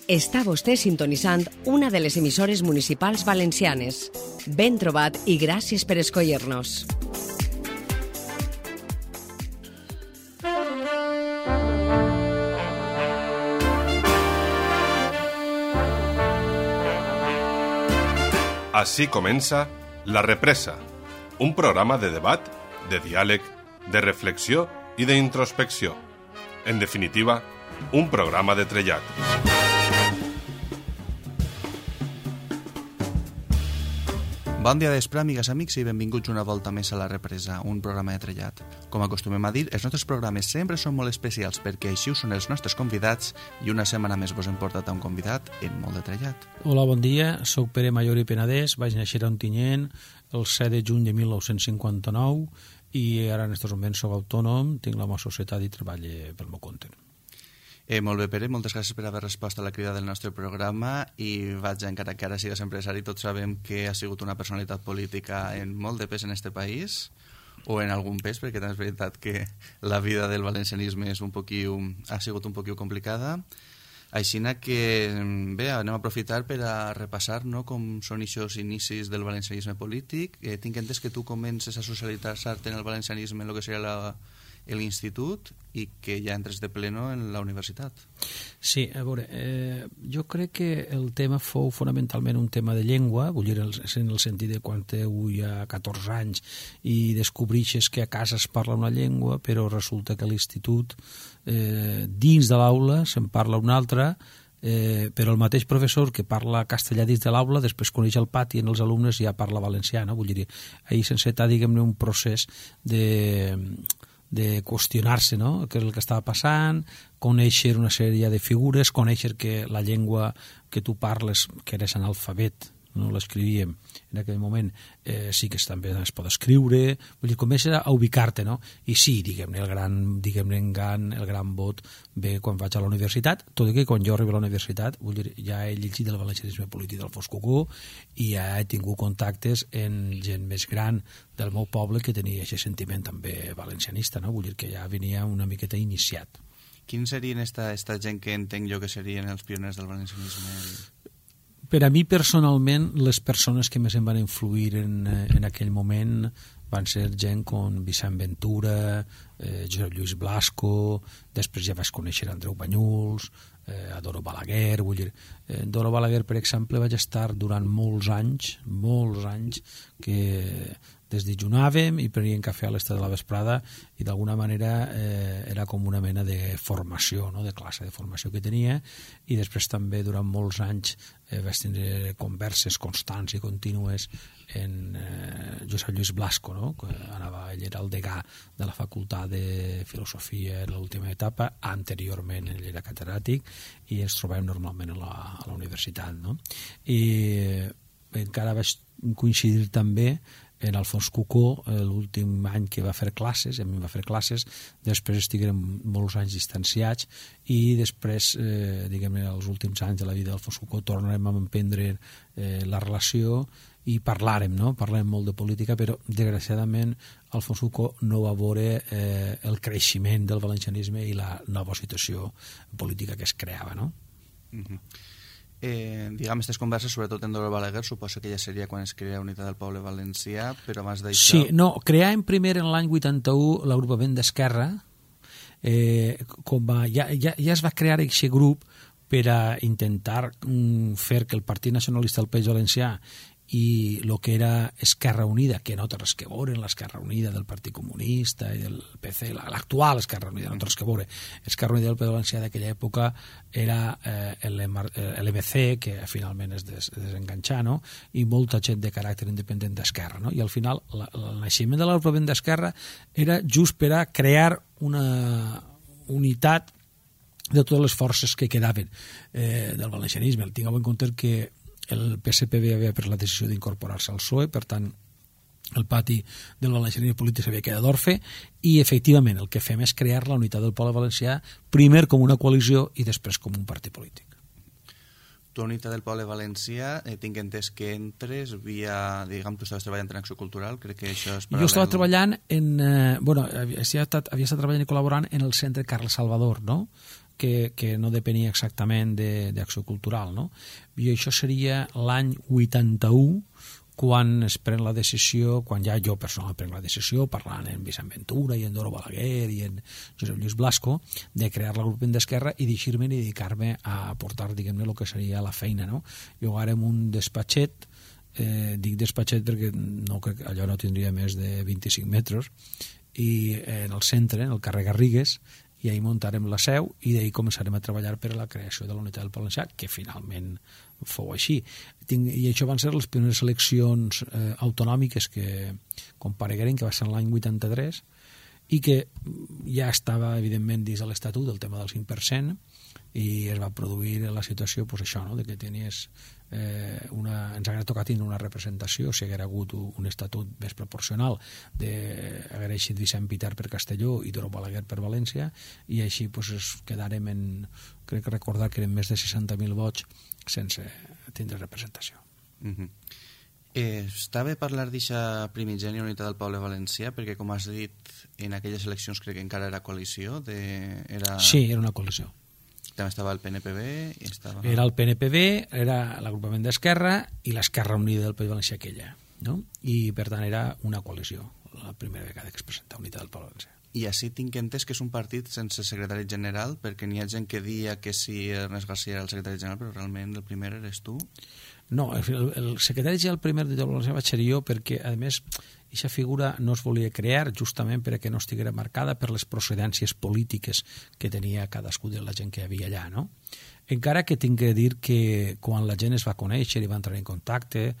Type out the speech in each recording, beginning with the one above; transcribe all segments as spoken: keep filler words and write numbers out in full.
Està vostè sintonitzant una de les emissores municipals valencianes. Ben trobat i gràcies per escollir-nos. Així comença La Represa, un programa de debat, de diàleg, de reflexió i d'introspecció. En definitiva, un programa de trellat. Bon dia d'espre, amigues, amics, i benvinguts una volta més a La Represa, un programa de trellat. Com acostumem a dir, els nostres programes sempre són molt especials perquè així ho són els nostres convidats i una setmana més vos hem portat a un convidat en molt de trellat. Hola, bon dia, soc Pere Mayor i Penedès, vaig néixer a Ontinyent el set de juny de mil nou-cents cinquanta-nou i ara en aquests moments soc autònom, tinc la meva societat i treballo pel meu compte. Eh, molt bé, Pere, moltes gràcies per haver respost a la crida del nostre programa i vaig, encara que ara sigues empresari, tots sabem que ha sigut una personalitat política en molt de pes en este país, o en algun pes, perquè també és veritat que la vida del valencianisme és un poquiu, ha sigut un poquiu complicada. Així que, bé, anem a aprofitar per a repassar, no?, com són aquests inicis del valencianisme polític. Eh, tinc entès que tu comences a socialitzar-te en el valencianisme en el que seria la... l'institut i que ja entres de pleno en la universitat. Sí, a veure, eh, jo crec que el tema fou fonamentalment un tema de llengua, vull dir, en el sentit de quan teniu ja catorze anys i descobreixes que a casa es parla una llengua, però resulta que a l'institut, eh, dins de l'aula, se'n parla una altra, Eh, però el mateix professor que parla castellà dins de l'aula després coneix el pati en els alumnes i ja parla valencià, no? Vull dir, ahir s'enceta, diguem-ne, un procés de... de qüestionar-se, no?, què és el que estava passant, conèixer una sèrie de figures, conèixer que la llengua que tu parles, que eres analfabet, no l'escrivíem en aquell moment, eh, sí que també es pot escriure, vull dir, comença a ubicar-te, no? I sí, diguem-ne, el gran, diguem-ne, engant, el gran vot ve quan vaig a la universitat, tot i que quan jo arribo a la universitat, vull dir, ja he llegit el valencianisme polític del Fos Cucó i ja he tingut contactes en gent més gran del meu poble que tenia aquest sentiment també valencianista, no? Vull dir que ja venia una miqueta iniciat. Quins serien esta, esta gent que entenc jo que serien els pioners del valencianisme? Per a mi, personalment, les persones que més em van influir en, en aquell moment van ser gent com Vicent Ventura, eh, Josep Lluís Blasco, després ja vaig conèixer Andreu Banyuls, eh, a Doro Balaguer, vull dir, eh, Doro Balaguer, per exemple, vaig estar durant molts anys, molts anys, que desdejunàvem i preníem cafè a l'estat de la vesprada i d'alguna manera eh, era com una mena de formació, no?, de classe de formació que tenia, i després també durant molts anys eh, vaig tindre converses constants i contínues en eh, Josep Lluís Blasco, no?, que anava, ell era el degà de la facultat de filosofia en l'última etapa, anteriorment ell era catedràtic i ens trobem normalment a la, a la universitat, no? I eh, encara vaig coincidir també en Alfons Cucó, l'últim any que va fer classes, a mi va fer classes, després estiguérem molts anys distanciats i després, eh, diguem-ne, els últims anys de la vida d'Alfons Cucó tornarem a emprendre eh, la relació i parlàrem, no? Parlàrem molt de política, però desgraciadament Alfons Cucó no va veure eh, el creixement del valencianisme i la nova situació política que es creava, no? Mhm. Eh, diguem, aquestes converses, sobretot en Doro Balaguer, suposo que ja seria quan es crea Unitat del Poble Valencià, però abans d'això... Sí, no, creàvem primer en l'any vuitanta-u l'agrupament d'Esquerra, eh, com a, ja, ja, ja es va crear aquest grup per a intentar mm, fer que el Partit Nacionalista del País Valencià i el que era Esquerra Unida, que no té res que veure en l'Esquerra Unida del Partit Comunista i del P C, l'actual Esquerra Unida, no té res que veure. Esquerra Unida del País Valencià d'aquella època era eh, l'M C, que finalment es des, desenganxà, no?, i molta gent de caràcter independent d'Esquerra, no? I al final la, el naixement de l'agrupament d'Esquerra era just per a crear una unitat de totes les forces que quedaven eh, del valencianisme. Tingueu en compte que el P S P B havia pres la decisió d'incorporar-se al P S O E, per tant el pati del valencianisme polític s'havia quedat orfe i efectivament el que fem és crear la Unitat del Poble Valencià primer com una coalició i després com un partit polític. Tu, Unitat del Poble Valencià, eh, tinc entès que entres via, diguem, tu estaves treballant en Acció Cultural, crec que això és paral·lel. Jo estava treballant en, eh, bueno, havia estat, havia estat treballant i col·laborant en el Centre Carles Salvador, no?, que, que no depenia exactament d'Acció Cultural, no? I això seria l'any vuitanta-u, quan es pren la decisió, quan ja jo personalment prenc la decisió, parlant amb Vicent Ventura i en Doro Balaguer i en Josep Lluís Blasco, de crear l'agrupament d'Esquerra i deixar-me i dedicar-me a portar, diguem-ne, el que seria la feina, no? Jo ara en un despatxet, eh, dic despatxet perquè no, allò no tindria més de vint-i-cinc metres, i en el centre, en el carrer Garrigues, i ahir muntarem la seu i d'ahir començarem a treballar per a la creació de la Unitat del Valencià, que finalment fou així. I això van ser les primeres eleccions eh, autonòmiques que comparegueren, que va ser l'any vuitanta-tres, i que ja estava, evidentment, dins de l'Estatut del tema del cinc per cent, i es va produir la situació, pues, això, no?, de que tenies eh, una, ens hauria tocat tenir una representació, si haguera hagut un estatut més proporcional, de haguera eixit Vicent Pitar per Castelló i Doro Balaguer per València, i així pues, es quedarem en, crec que recordar que eren més de seixanta mil vots sense tindre representació. Mm-hmm. Eh, està bé parlar d'aquesta primigènia Unitat del Poble Valencià, perquè, com has dit, en aquelles eleccions crec que encara era coalició. De... Era... Sí, era una coalició. També estava el P N P B i estava... Era el P N P B, era l'agrupament d'Esquerra i l'Esquerra Unida del País Valencià aquella, no? I per tant era una coalició, la primera vegada que es presenta Unitat del Poble Valencià. I així tinc entès que és un partit sense secretari general, perquè n'hi ha gent que dia que sí, Ernest García era el secretari general, però realment el primer eres tu? No, el, el secretari general primer de Valencià vaig ser jo, perquè a més aquesta figura no es volia crear justament perquè no estiguera marcada per les procedències polítiques que tenia cadascú de la gent que hi havia allà, no? Encara que tinc que dir que quan la gent es va conèixer i va entrar en contacte,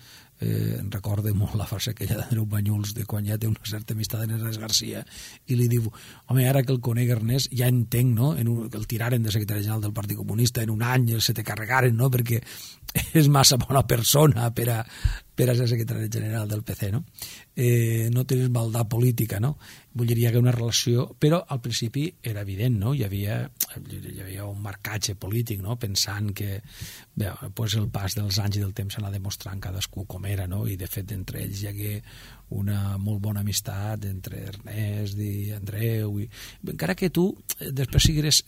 eh, recordo molt la frase aquella d'Andreu Banyuls, de quan ja té una certa amistat en Ernest García, i li diu, home, ara que el conec Ernest, ja entenc, no?, en un, que el tiraren de secretari general del Partit Comunista en un any, se te carregaren, no?, perquè és massa bona persona per a, per a ser secretari general del P C, no? Eh, no tens maldat política, no? Vull dir, hi havia una relació, però al principi era evident, no? Hi havia, hi havia un marcatge polític, no?, pensant que bé, pues el pas dels anys i del temps s'anà demostrant cadascú com era, no? I de fet entre ells hi hagué una molt bona amistat entre Ernest i Andreu, i encara que tu després sigueres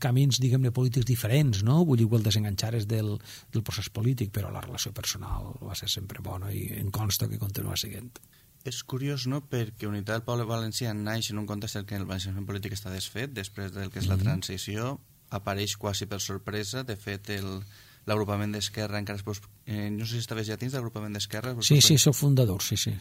camins, diguem-ne, polítics diferents, no? Vull dir, el desenganxares del, del procés polític, però la relació personal va ser sempre bona i em consta que continua sent. És curiós, no?, perquè Unitat del Poble Valencià naix en un context en què el valencianisme polític està desfet, després del que és la transició, apareix quasi per sorpresa, de fet el l'agrupament d'Esquerra encara es... Eh, no sé si estaves ja dins de l'agrupament d'Esquerra. Sí, sí, soc fundador, sí, sí.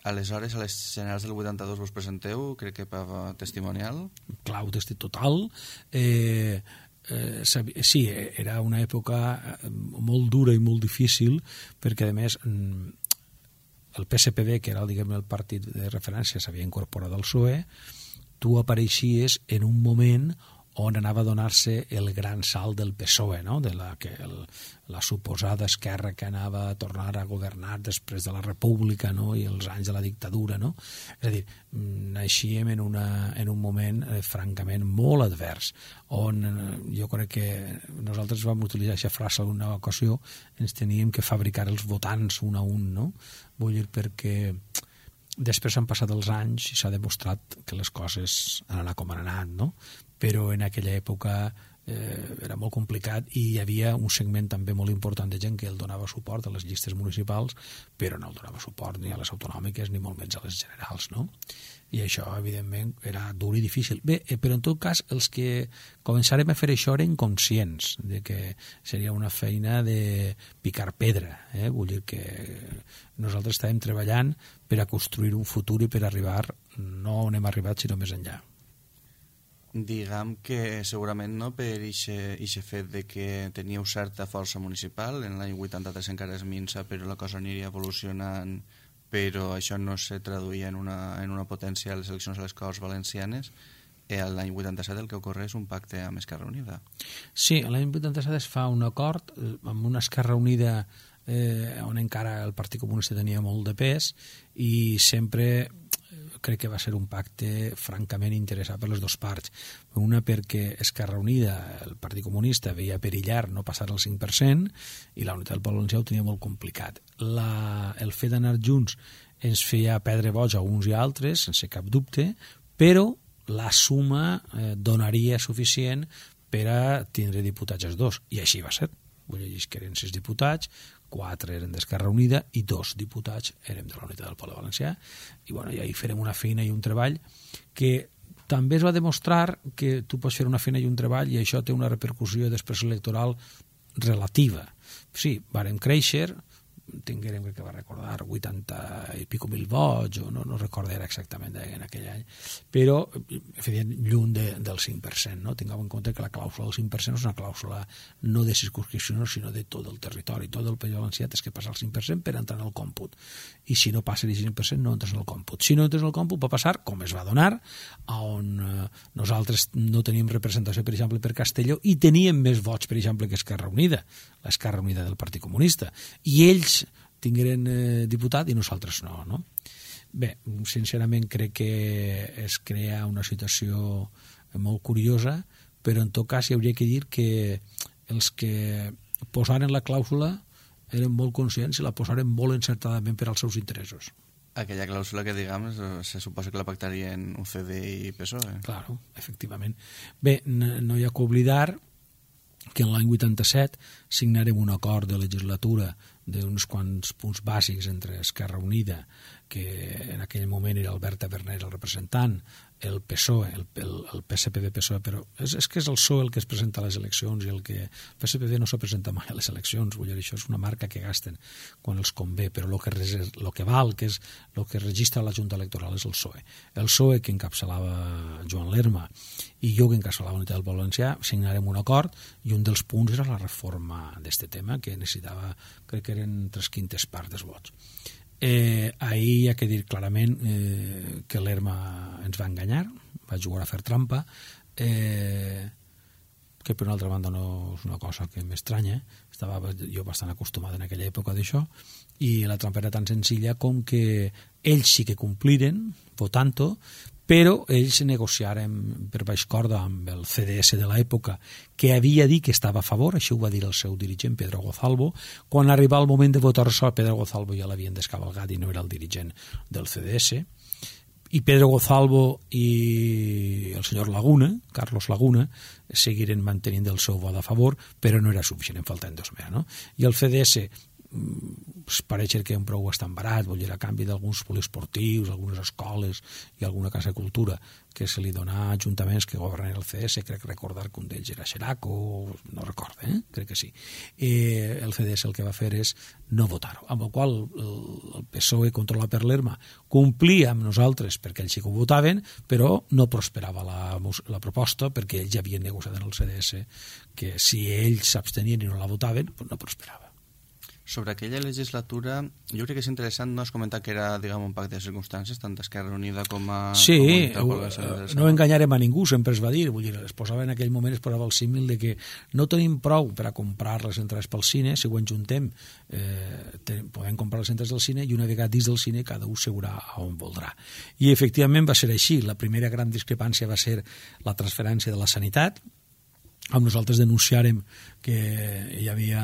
Aleshores, a les generals del vuitanta-dos vos presenteu, crec que per testimonial. Clau, testi total. Eh, eh, sí, era una època molt dura i molt difícil, perquè, a més, el P S P B, que era, diguem, el partit de referència, s'havia incorporat al P S O E, tu apareixies en un moment on anava a donar-se el gran salt del P S O E, no?, de la, que el, la suposada esquerra que anava a tornar a governar després de la República, no?, i els anys de la dictadura, no? És a dir, naixíem en, una, en un moment eh, francament molt advers, on eh, jo crec que nosaltres vam utilitzar aquesta frase en una ocasió, ens teníem que fabricar els votants un a un, no? Vull dir, perquè després han passat els anys i s'ha demostrat que les coses han anat com han anat, no? Però en aquella època eh, era molt complicat i hi havia un segment també molt important de gent que el donava suport a les llistes municipals, però no el donava suport ni a les autonòmiques ni molt menys a les generals, no? I això, evidentment, era dur i difícil. Bé, eh, però en tot cas, els que començarem a fer això eren conscients de que seria una feina de picar pedra, eh? Vull dir que nosaltres estàvem treballant per a construir un futur i per arribar no on hem arribat, sinó més enllà. Diguem que segurament no per aquest fet de que teníeu certa força municipal, en l'any vuitanta-tres encara es minsa, però la cosa aniria evolucionant, però això no se traduïa en una, en una potència a les eleccions a les Corts Valencianes. Eh, l'any vuitanta-set el que ocorre és un pacte amb Esquerra Unida. Sí, l'any vuitanta-set es fa un acord amb una Esquerra Unida eh, on encara el Partit Comunista tenia molt de pes i sempre crec que va ser un pacte francament interessat per les dues parts. Una perquè Esquerra Unida, el Partit Comunista, veia perillar no passar el cinc per cent i la Unitat del Poble Valencià ho tenia molt complicat. La, el fet d'anar junts ens feia perdre vots a uns i altres, sense cap dubte, però la suma eh, donaria suficient per a tindre diputats els dos, i així va ser. Vull dir que eren sis diputats, quatre eren d'Esquerra Unida i dos diputats érem de la Unitat del Poble Valencià, i, bueno, i ahí farem una feina i un treball que també es va demostrar que tu pots fer una feina i un treball i això té una repercussió després electoral relativa. Sí, vàrem créixer, tinguérem, crec que va recordar, vuitanta i pico mil vots, o no, no recordo era exactament en aquell any, però feien lluny de, del cinc per cent, no? Tingueu en compte que la clàusula del cinc per cent és una clàusula no de circunscripció, sinó de tot el territori. Tot el País Valencià tens que passar el cinc per cent per entrar en el còmput, i si no passa el cinc per cent no entres en el còmput. Si no entres en el còmput va passar, com es va donar, on eh, nosaltres no teníem representació, per exemple, per Castelló, i teníem més vots, per exemple, que Esquerra Unida, l'Esquerra Unida del Partit Comunista, i ells tingueren eh, diputat i nosaltres no, no? Bé, sincerament crec que es crea una situació molt curiosa, però en tot cas hi hauria que dir que els que posaren la clàusula eren molt conscients i la posaren molt encertadament per als seus interessos. Aquella clàusula que, diguem, se suposa que la pactarien U C D i P S O E. Claro, efectivament. Bé, no hi ha que oblidar que en l'any vuitanta-set signarem un acord de legislatura d'uns quants punts bàsics entre Esquerra Unida, que en aquell moment era Albert Taverner el representant, el P S O E, el, el, el P S P V-P S O E, però és, és que és el P S O E el que es presenta a les eleccions i el que el P S P V no s'ha presentat mai a les eleccions, vull dir, això és una marca que gasten quan els convé, però el que, el que val, que és el que registra la Junta Electoral és el P S O E. El P S O E que encapçalava Joan Lerma i jo que encapçalava la Unitat del Poble Valencià signarem un acord i un dels punts era la reforma d'aquest tema que necessitava, crec que eren tres quintes parts dels vots. Eh, ahir hi ha que dir clarament eh, que l'Erma ens va enganyar, va jugar a fer trampa, eh, que per una altra banda no és una cosa que m'estranya, estava jo bastant acostumat en aquella època d'això, i la trampa era tan senzilla com que ells sí que compliren votant-ho, però ells negociaren per baix corda amb el C D S de l'època, que havia dit que estava a favor, això ho va dir el seu dirigent Pedro Gozalvo. Quan arribava el moment de votar això, Pedro Gozalvo ja l'havien descabalgat i no era el dirigent del C D S, i Pedro Gozalvo i el senyor Laguna, Carlos Laguna, seguiren mantenint el seu vot a favor, però no era suficient, en falten dos més, no? I el C D S pareix que un prou bastant barat, vull dir, a canvi d'alguns poliesportius, algunes escoles i alguna casa de cultura que se li dona a ajuntaments que governen el C D S, crec recordar que un d'ells era Xeraco, no recordo, eh? crec que sí. Eh, el C D S el que va fer és no votar-ho, amb el qual el, el P S O E controlat per l'Erma complia amb nosaltres perquè ells sí que ho votaven, però no prosperava la, la proposta perquè ells ja havien negociat en el C D S que si ells s'abstenien i no la votaven, doncs no prosperava. Sobre aquella legislatura, jo crec que és interessant no es comentar que era, diguem, un pacte de circumstàncies, tant d'Esquerra Unida com a... Sí, com a no enganyarem a ningú, sempre es va dir, vull dir, es posava en aquell moment, es posava el símil de que no tenim prou per a comprar les entrades pel cine, si ho enjuntem, eh, ten, podem comprar les entrades del cine i una vegada dins del cine cada un seurà a on voldrà. I efectivament va ser així, la primera gran discrepància va ser la transferència de la sanitat. Amb nosaltres denunciàrem que hi havia,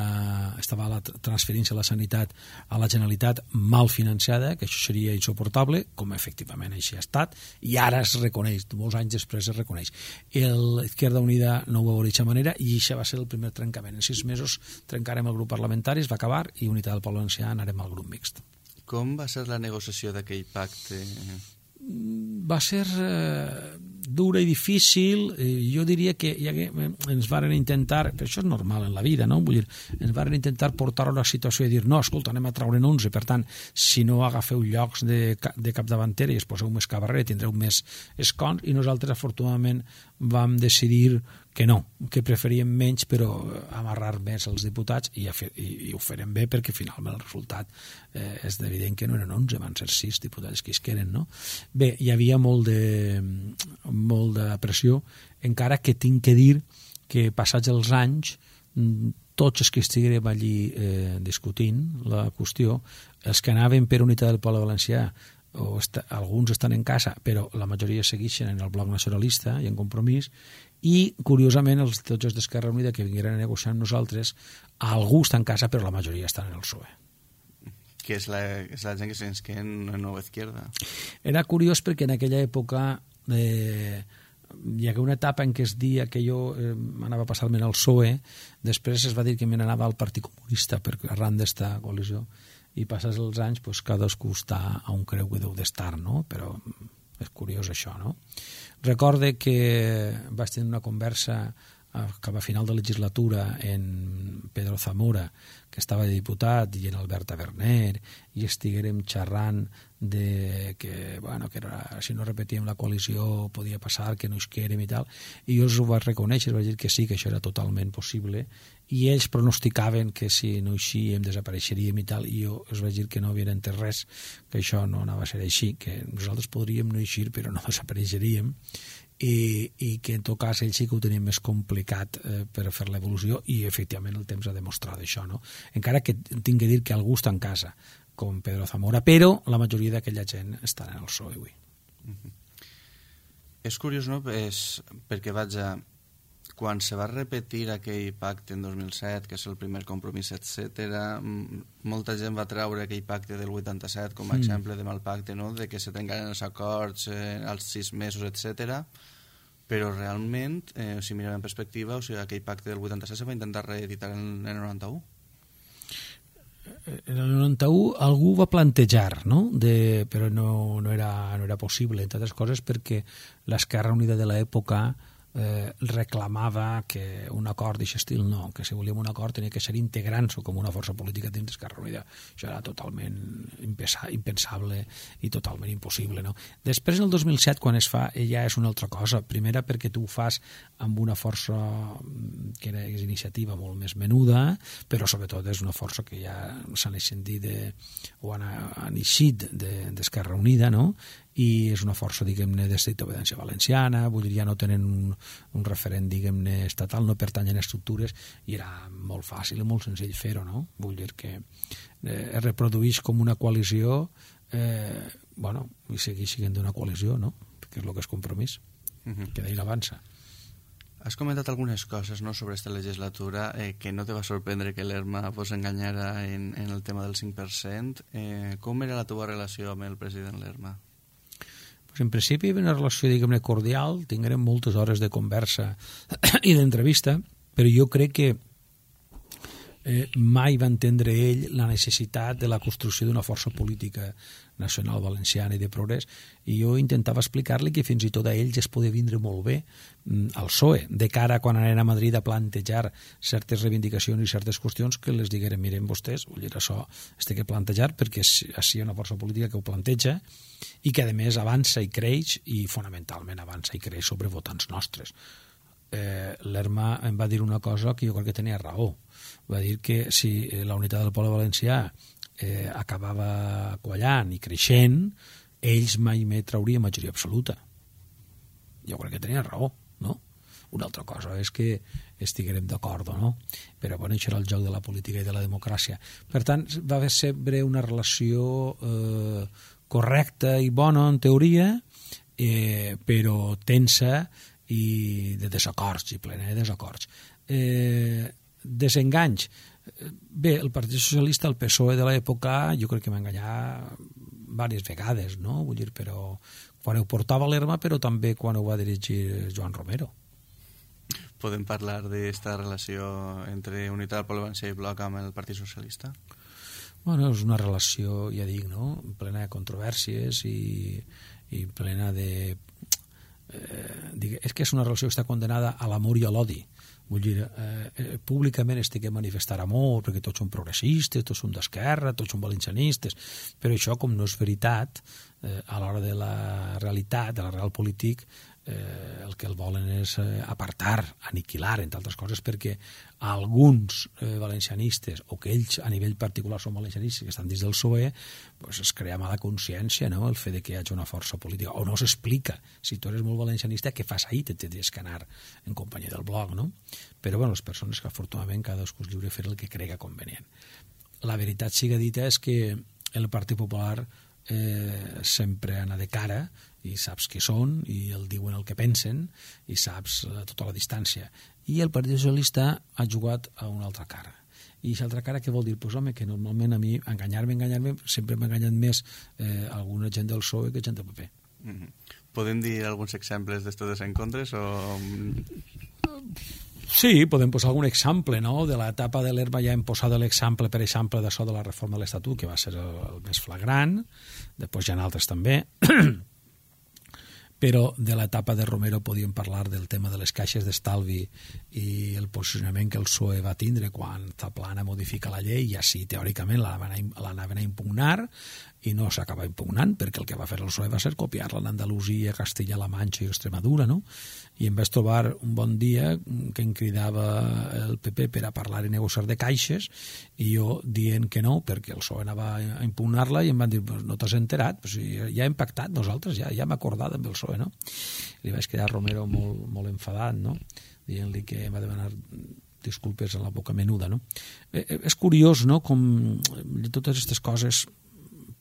estava la transferència de la sanitat a la Generalitat mal financiada, que això seria insuportable, com efectivament així ha estat, i ara es reconeix, molts anys després es reconeix. L'Izquierda Unida no ho va veure d'aquesta manera i això va ser el primer trencament. En sis mesos trencarem el grup parlamentari, es va acabar, i Unitat del Poble Valencià anarem al grup mixt. Com va ser la negociació d'aquell pacte? Va ser eh, dura i difícil. Eh, jo diria que ja que ens varen intentar, però això és normal en la vida, no? Vull dir, ens varen intentar portar a la situació i dir, no, escolta, anem a traure'n onze, per tant, si no agafeu llocs de, de capdavantera i es poseu més cabarrer, tindreu més escons, i nosaltres, afortunadament, vam decidir que no, que preferíem menys però amarrar més els diputats i, i, i ho farem bé perquè finalment el resultat eh, és evident que no eren onze, van ser sis diputats que es queden, no? Bé, hi havia molt de, molt de pressió, encara que tinc que dir que passats els anys tots els que estiguérem allí eh, discutint la qüestió, els que anaven per Unitat del Poble Valencià, o est alguns estan en casa, però la majoria segueixen en el bloc nacionalista i en Compromís, i curiosament els tots els d'Esquerra Unida que vingueren a negociar amb nosaltres, algú està en casa però la majoria estan en el P S O E. Que és la, és la gent que se'ns queda en la nova izquierda. Era curiós perquè en aquella època eh, hi hagué una etapa en què es dia que jo eh, anava a passar-me al P S O E, després es va dir que me n'anava al Partit Comunista per arran d'esta coalició, i passats els anys pues, cadascú està a un creu que deu d'estar, no? Però és curiós això, no? Recorde que vaig tenir una conversa cap a final de legislatura en Pedro Zamora, que estava de diputat, i en Albert Taverner, i estiguérem xerrant de que, bueno, que era, si no repetíem la coalició podia passar, que no isquérem i tal, i jo ho vaig reconèixer, vaig dir que sí, que això era totalment possible, i ells pronosticaven que si no eixíem desapareixeríem i tal, i jo els vaig dir que no havien entès res, que això no anava a ser així, que nosaltres podríem no eixir però no desapareixeríem, i, i que en tot cas ells sí que ho tenien més complicat eh, per fer l'evolució, i efectivament el temps ha demostrat això, no? Encara que tinc que dir que algú està en casa com Pedro Zamora, però la majoria d'aquella gent estan en el P S O E avui. Uh-huh. És curiós, no? És perquè, vaja, quan se va repetir aquell pacte en dos mil set, que és el primer compromís, etcètera, molta gent va treure aquell pacte del vuitanta-set com a mm. exemple de mal pacte, no? De que se trencaren els acords eh, als sis mesos, etcètera. Però realment, eh, si mirem en perspectiva, o sigui, aquell pacte del vuitanta-set se va intentar reeditar en el noranta-u. En el noranta-u algú va plantejar, no? De, però no, no, era, no era possible, entre altres coses perquè l'Esquerra Unida de l'època eh, reclamava que un acord d'aquest estil no, que si volíem un acord tenia que ser integrant-se com una força política dins d'Esquerra Unida. Això era totalment impensable i totalment impossible, no? Després, en el dos mil set, quan es fa, ja és una altra cosa. Primera, perquè tu ho fas amb una força que era, és iniciativa molt més menuda, però sobretot és una força que ja s'han ascendit de, o han, han eixit d'Esquerra Unida, no? I és una força, diguem-ne, d'obediència valenciana, vull dir, ja no tenen un, un referent, diguem-ne, estatal, no pertanyen a estructures, i era molt fàcil i molt senzill fer-ho, no? Vull dir que eh, es reprodueix com una coalició, eh, bueno, i segueix sent una coalició, no? Perquè és el que és compromís, uh-huh. que d'ahir avança. Has comentat algunes coses, no, sobre aquesta legislatura, eh, que no te va sorprendre que l'Erma vos enganyara en, en el tema del cinc per cent. Eh, com era la teva relació amb el president Lerma? Pues en principi hi havia una relació, diguem-ne, cordial, tinguérem moltes hores de conversa i d'entrevista, però jo crec que eh, mai va entendre ell la necessitat de la construcció d'una força política nacional valenciana i de progrés, i jo intentava explicar-li que fins i tot a ells es podia vindre molt bé al P S O E, de cara quan anaven a Madrid a plantejar certes reivindicacions i certes qüestions, que les digueren, miren vostès, vull dir, això es té que plantejar perquè així hi ha una força política que ho planteja i que a més avança i creix, i fonamentalment avança i creix sobre votants nostres. Eh, L'Erma em va dir una cosa que jo crec que tenia raó. Va dir que si la unitat del poble valencià eh, acabava quallant i creixent, ells mai més traurien majoria absoluta. Jo crec que tenia raó, no? Una altra cosa és que estiguérem d'acord o no, però bueno, això era el joc de la política i de la democràcia. Per tant, va haver sempre una relació eh, correcta i bona en teoria, eh, però tensa i de desacords, i plena de desacords. Eh, desenganys. Bé, el Partit Socialista, el P S O E de l'època, jo crec que va enganyar diverses vegades, no? Vull dir, però quan ho portava l'Erma, però també quan ho va dirigir Joan Romero. Podem parlar d'esta relació entre Unitat del Poble Valencià i Bloc amb el Partit Socialista? Bueno, és una relació, ja dic, no? Plena de controvèrsies i, i plena de... Eh, és que és una relació que està condenada a l'amor i a l'odi. Vull dir, eh, públicament es té que manifestar amor perquè tots són progressistes, tots són d'esquerra, tots són valencianistes, però això, com no és veritat, eh, a l'hora de la realitat, de la real polític, eh, el que el volen és eh, apartar, aniquilar, entre altres coses, perquè alguns eh, valencianistes, o que ells a nivell particular són valencianistes que estan dins del P S O E, pues es crea mala consciència, no?, el fet de que hi hagi una força política, o no s'explica. Si tu eres molt valencianista, què fas ahir? Te tens que anar en companyia del Bloc, no? Però bueno, les persones que afortunadament cadascú és lliure de fer el que crega convenient. La veritat siga dita és que el Partit Popular eh, sempre anar de cara, i saps què són, i el diuen el que pensen, i saps eh, tota la distància. I el Partit Socialista ha jugat a una altra cara. I aquesta altra cara què vol dir? Pues home, que normalment a mi enganyar-me, enganyar-me, sempre m'ha enganyat més eh, alguna gent del P S O E que gent del P P. Mm-hmm. Podem dir alguns exemples d'estos desencontres o... Sí, podem posar algun exemple, no? De l'etapa de l'Herba ja hem posat l'exemple, per exemple, d'això de la reforma de l'Estatut, que va ser el, el més flagrant, després hi ha altres també, però de l'etapa de Romero podíem parlar del tema de les caixes d'estalvi i el posicionament que el P S O E va tindre quan Zaplana modifica la llei i així teòricament l'anaven a impugnar i no s'acaba impugnant perquè el que va fer el P S O E va ser copiar-la en Andalusia, Castilla-La Manxa i Extremadura, no? I em vaig trobar un bon dia que em cridava el P P per a parlar i negociar de caixes i jo dient que no perquè el P S O E anava a impugnar-la i em van dir, pues no t'has enterat, pues ja hem pactat nosaltres, ja, ja hem acordat amb el P S O E, no? I li vaig quedar a Romero molt, molt enfadat, no? Dient-li que em va demanar disculpes a la boca menuda, no? Eh, és curiós, no?, com totes aquestes coses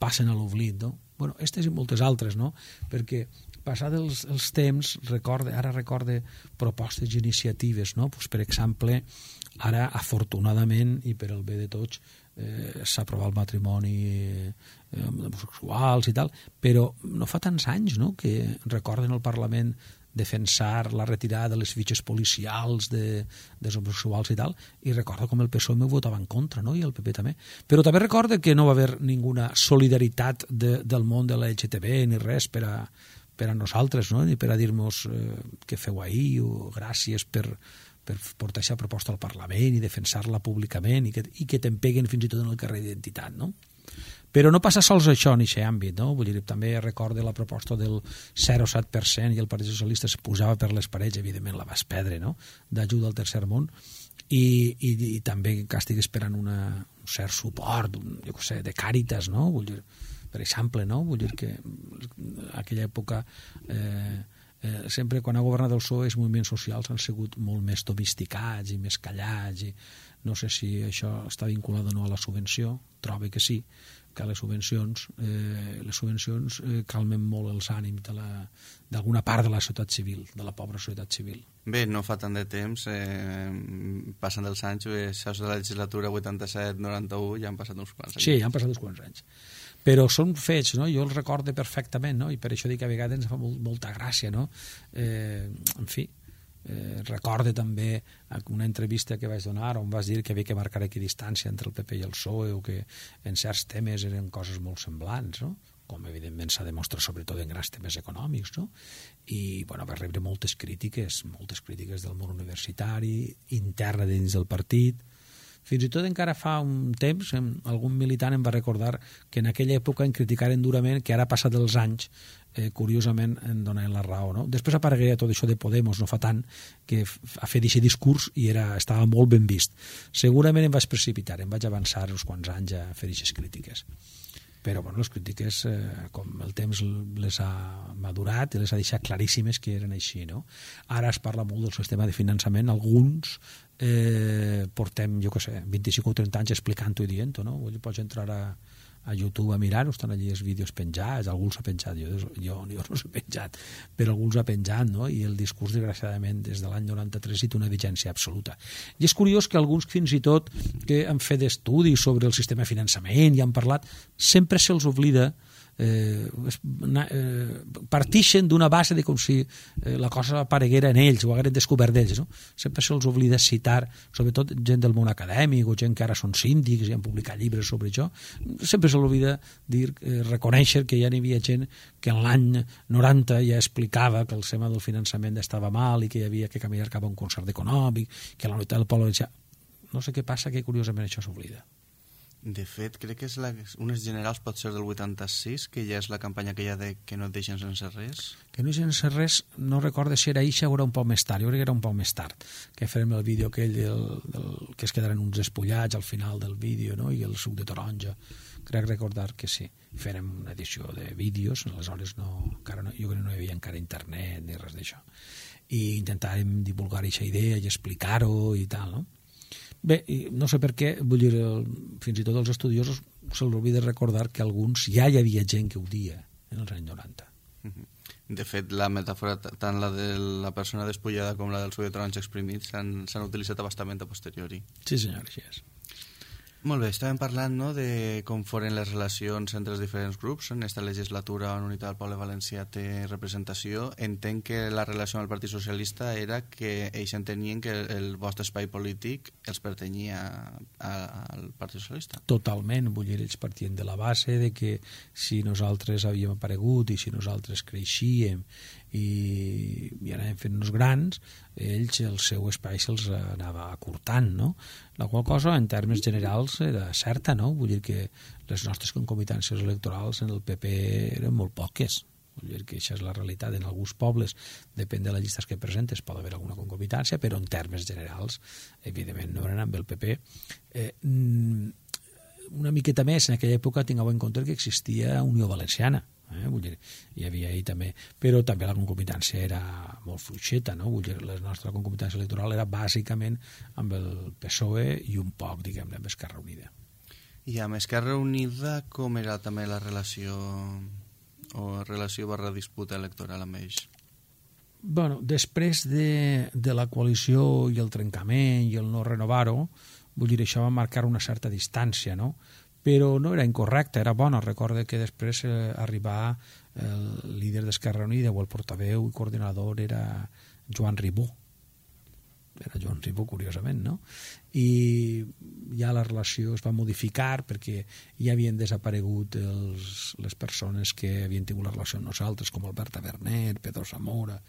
passen a l'oblit, no? Bueno, aquestes i moltes altres, no? Perquè passats els, els temps, recorde, ara recorde propostes i iniciatives, no? Pues, per exemple, ara, afortunadament, i per el bé de tots, eh, s'ha aprovat el matrimoni eh, homosexuals i tal, però no fa tants anys, no?, que recorden al Parlament defensar la retirada de les fitxes policials de, dels homosexuals i tal, i recordo com el P S O E m'ho votava en contra, no?, i el P P també. Però també recordo que no va haver ninguna solidaritat de, del món de la L G T B ni res per a, per a nosaltres, no?, ni per a dir-nos eh, què feu ahir o gràcies per, per portar aquesta proposta al Parlament i defensar-la públicament i que, i que t'empeguen fins i tot en el carrer d'identitat, no? Però no passa sols això en aquest àmbit, no? Vull dir, també recordo la proposta del zero coma set per cent i el Partit Socialista es posava per les parets, evidentment la vas perdre, no?, d'ajuda al tercer món, i, i, i també que estic esperant una, un cert suport, un, jo què sé, de Càritas, no?, vull dir, per exemple, no?, vull dir que en aquella època eh, eh, sempre quan ha governat el P S O E els moviments socials han sigut molt més domesticats i més callats, i no sé si això està vinculat o no a la subvenció, trobo que sí, que les subvencions, eh, les subvencions eh, calmen molt els ànims d'alguna part de la societat civil, de la pobra societat civil. Bé, no fa tant de temps, eh, passen dels anys, eh, això de la legislatura vuitanta-set noranta-u, ja han passat uns quants anys. Sí, ja han passat uns quants anys. Però són fets, no?, jo els recordo perfectament, no?, i per això dic que a vegades ens fa molt, molta gràcia, no? Eh, en fi, Eh, recorde també una entrevista que vaig donar on vas dir que havia que marcar equidistància entre el P P i el P S O E o que en certs temes eren coses molt semblants, no?, com evidentment s'ha demostrat sobretot en grans temes econòmics, no? I bueno, va rebre moltes crítiques, moltes crítiques del món universitari, interna dins del partit. Fins i tot encara fa un temps algun militant em va recordar que en aquella època en criticaren durament, que ara passat els anys eh, curiosament em donen la raó, no? Després aparegué tot això de Podemos no fa tant, que ha fet aquest discurs i era, estava molt ben vist. Segurament em vaig precipitar, em vaig avançar uns quants anys a fer aquestes crítiques. Però bueno, les crítiques, eh, com el temps les ha madurat i les ha deixat claríssimes que eren així, no? Ara es parla molt del sistema de finançament, alguns eh, portem, jo què sé, vint-i-cinc o trenta anys explicant-ho i dient-ho, no? Pots entrar a, a YouTube a mirar-ho, estan allí els vídeos penjats, alguns s'ha penjat, jo, jo, jo no s'ha penjat, però alguns ha penjat, no? I el discurs, desgraciadament, des de l'any noranta-tres hi té una vigència absoluta. I és curiós que alguns, fins i tot, que han fet estudis sobre el sistema de finançament i han parlat, sempre se'ls oblida Eh, eh, partixen d'una base de com si eh, la cosa apareguera en ells o hagueren descobert d'ells, no? Sempre se'ls oblida citar, sobretot gent del món acadèmic o gent que ara són síndics i han publicat llibres sobre això, sempre se'ls oblida dir, eh, reconèixer que ja n'hi havia gent que en l'any noranta ja explicava que el tema del finançament estava mal i que hi havia que caminar cap a un concert econòmic, que la unitat del poble valencià. No sé què passa, que curiosament això s'oblida. De fet, crec que és la, unes generals pot ser del vuitanta-sis, que ja és la campanya aquella de que no et deixen sense res. Que no et deixen sense res, no recordo si era eixa o era un poc més tard. Jo crec que era un poc més tard, que farem el vídeo aquell del, del, que es quedaren uns espollats al final del vídeo, no?, i el suc de taronja. Crec recordar que sí. Farem una edició de vídeos, aleshores no, encara no, jo crec que no hi havia encara internet ni res d'això. I intentarem divulgar aquesta idea i explicar-ho i tal, no? Bé, no sé per què, vull dir, fins i tot els estudiosos se'ls oblida recordar que alguns ja hi havia gent que ho dia en els anys noranta. De fet, la metàfora, tant la de la persona despullada com la del suc de taronja exprimit, s'han utilitzat bastament a posteriori. Sí, senyor, així és. Molt bé, estàvem parlant, no?, de com foren les relacions entre els diferents grups. En aquesta legislatura on Unitat del Poble Valencià té representació, entenc que la relació amb el Partit Socialista era que ells entenien que el vostre espai polític els pertanyia al Partit Socialista. Totalment, vull dir, ells partien de la base de que si nosaltres havíem aparegut i si nosaltres creixíem i, i anàvem fent-nos grans, ells el seu espai se'ls anava acurtant, no? La qual cosa, en termes generals, era certa, no? Vull dir que les nostres concomitàncies electorals en el P P eren molt poques. Vull dir que això és la realitat. En alguns pobles, depèn de les llistes que presentes, pot haver alguna concomitància, però en termes generals, evidentment, no eren amb el P P. Eh, una miqueta més, en aquella època, tingueu en compte que existia Unió Valenciana. Eh? Vull dir, hi havia ahir també, però també la concomitància era molt fluixeta, no? Vull dir, la nostra concomitància electoral era bàsicament amb el P S O E i un poc, diguem-ne, amb Esquerra Unida. I amb Esquerra Unida com era també la relació o relació barra disputa electoral amb ells? Bueno, després de, de la coalició i el trencament i el no renovar-ho, vull dir, això va marcar una certa distància, no? Però no era incorrecte, era bona. Recordo que després eh, arribar el líder d'Esquerra Unida o el portaveu i coordinador era Joan Ribó. Era Joan Ribó, curiosament, no? I ja la relació es va modificar perquè ja havien desaparegut els, les persones que havien tingut la relació amb nosaltres, com Alberta Bernet, Pedro Zamora,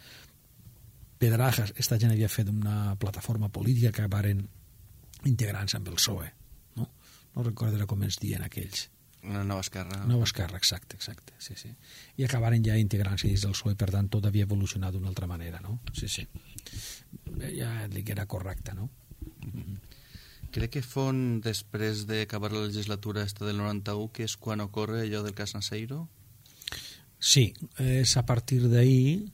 Pedrajas. Esta gent havia fet una plataforma política que acabaren integrant-se amb el P S O E. No recordo com ens diuen aquells. Una nova esquerra. Nova esquerra, exacte, exacte, sí, sí. I acabaren ja integrant-se dins del P S O E, per tant, tot havia evolucionat d'una altra manera, no? Sí, sí. Ja et dic que era correcte, no? Mm-hmm. Crec que fon després d'acabar la legislatura esta del noranta-u, que és quan ocorre allò del cas Naseiro? Sí, és a partir d'ahir,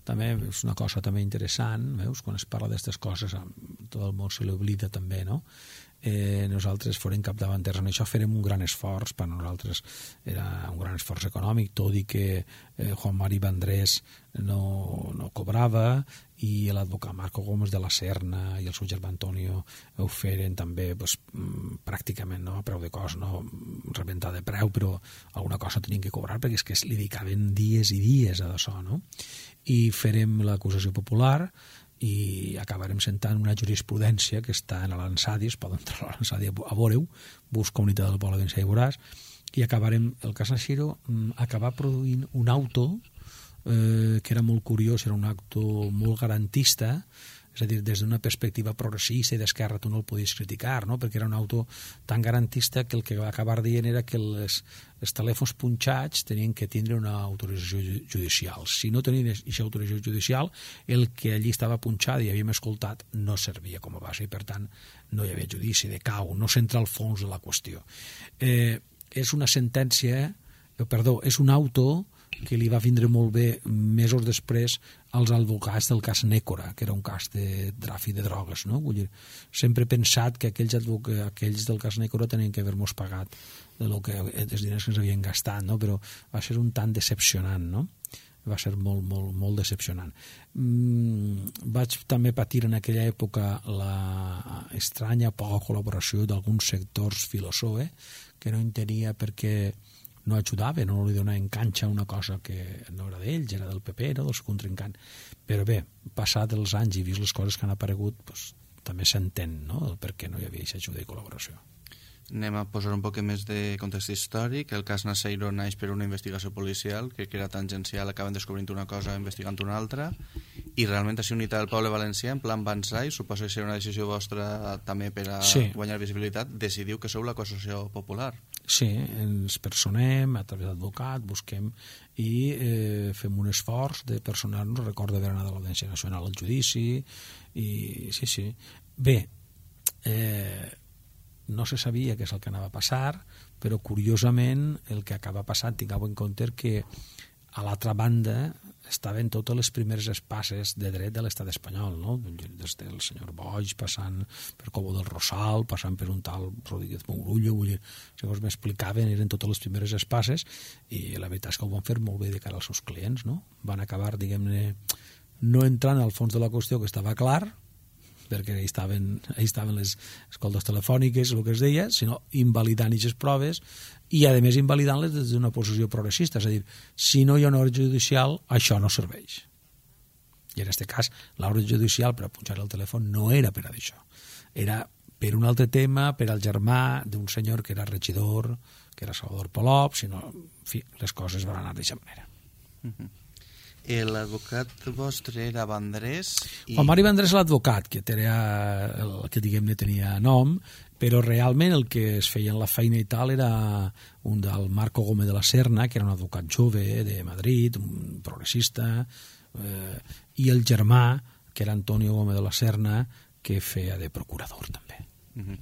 també és una cosa també interessant, veus, quan es parla d'aquestes coses, tot el món se l'oblida també, no? Eh, nosaltres forem capdavanters en això, farem un gran esforç. Per nosaltres era un gran esforç econòmic, tot i que eh, Juan Mari Vendrés no, no cobrava i l'advocat Marco Gómez de la Serna i el seu germà Antonio ho feren també pues, pràcticament no, a preu de cost, no rebentar de preu, però alguna cosa tenien que cobrar perquè és que li dedicaven dies i dies a això, no? I farem l'acusació popular i acabarem sentant una jurisprudència que està en l'Ansadi, es pot entrar a l'Ansadi a veure-ho, busca Unitat del Poble Valencià i veuràs, i acabarem, el cas Naseiro acabar produint un auto eh, que era molt curiós, era un auto molt garantista, és a dir, des d'una perspectiva progressista i d'esquerra tu no el podies criticar, no? Perquè era un auto tan garantista que el que va acabar dient era que les, els telèfons punxats tenien que tindre una autorització judicial. Si no tenien aquesta autorització judicial, el que allí estava punxat i havíem escoltat no servia com a base i, per tant, no hi havia judici de cau, no s'entra al fons de la qüestió. Eh, és una sentència, eh, perdó, és un auto que li va vindre molt bé mesos després als advocats del cas Nécora, que era un cas de tràfic de drogues, no? Vull dir, sempre he pensat que aquells, advoca, aquells del cas Nécora tenien que haver-nos pagat de lo que, els diners que ens havien gastat, no? Però va ser un tant decepcionant, no? Va ser molt, molt, molt decepcionant. Mm, vaig també patir en aquella època la estranya poca col·laboració d'alguns sectors filosòe que no entenia perquè no ajudava, no li donava enganxa a una cosa que no era d'ells, era del P P, no del seu contrincant. Però bé, passat els anys i vist les coses que han aparegut, doncs, també s'entén, no?, el per què no hi havia aquesta ajuda i col·laboració. Anem a posar un poc més de context històric. El cas Naseiro naix per una investigació policial que era tangencial, acaben descobrint una cosa investigant una altra, i realment així Unitat del Poble Valencià en plan Banzai, suposo que serà una decisió vostra també per a sí. guanyar visibilitat, decidiu que sou l'acusació popular. Sí, ens personem a través d'advocat, busquem i eh, fem un esforç de personar-nos. Recordo haver anat a l'Audiència Nacional al judici i sí, sí. Bé, eh, no se sabia què és el que anava a passar, però curiosament el que acaba passant, tingueu en compte que a l'altra banda estaven totes les primeres espases de dret de l'estat espanyol, no? Des del senyor Boix, passant per Cobo del Rosal, passant per un tal Rodríguez Mourullo, vull dir, segons m'explicaven, eren totes les primeres espases, i la veritat és que ho van fer molt bé de cara als seus clients, no? Van acabar, diguem-ne, no entrant al fons de la qüestió, que estava clar, perquè ahí estaven, ahí estaven les escoltes telefòniques, el que es deia, sinó invalidant aquestes proves i, a més, invalidant-les des d'una posició progressista. És a dir, si no hi ha una ordre judicial, això no serveix. I en aquest cas, l'ordre judicial per a punxar el telèfon no era per a això. Era per un altre tema, per al germà d'un senyor que era regidor, que era Salvador Polop, sinó, en fi, les coses van anar d'aquesta manera. Uh-huh. L'advocat vostre era Vandrés? I... Juan Mari Vandrés l'advocat, que, tenia, el, que diguem-ne tenia nom, però realment el que es feia en la feina i tal era un del Marco Gómez de la Serna, que era un advocat jove de Madrid, un progressista, eh, i el germà, que era Antonio Gómez de la Serna, que feia de procurador també. Uh-huh.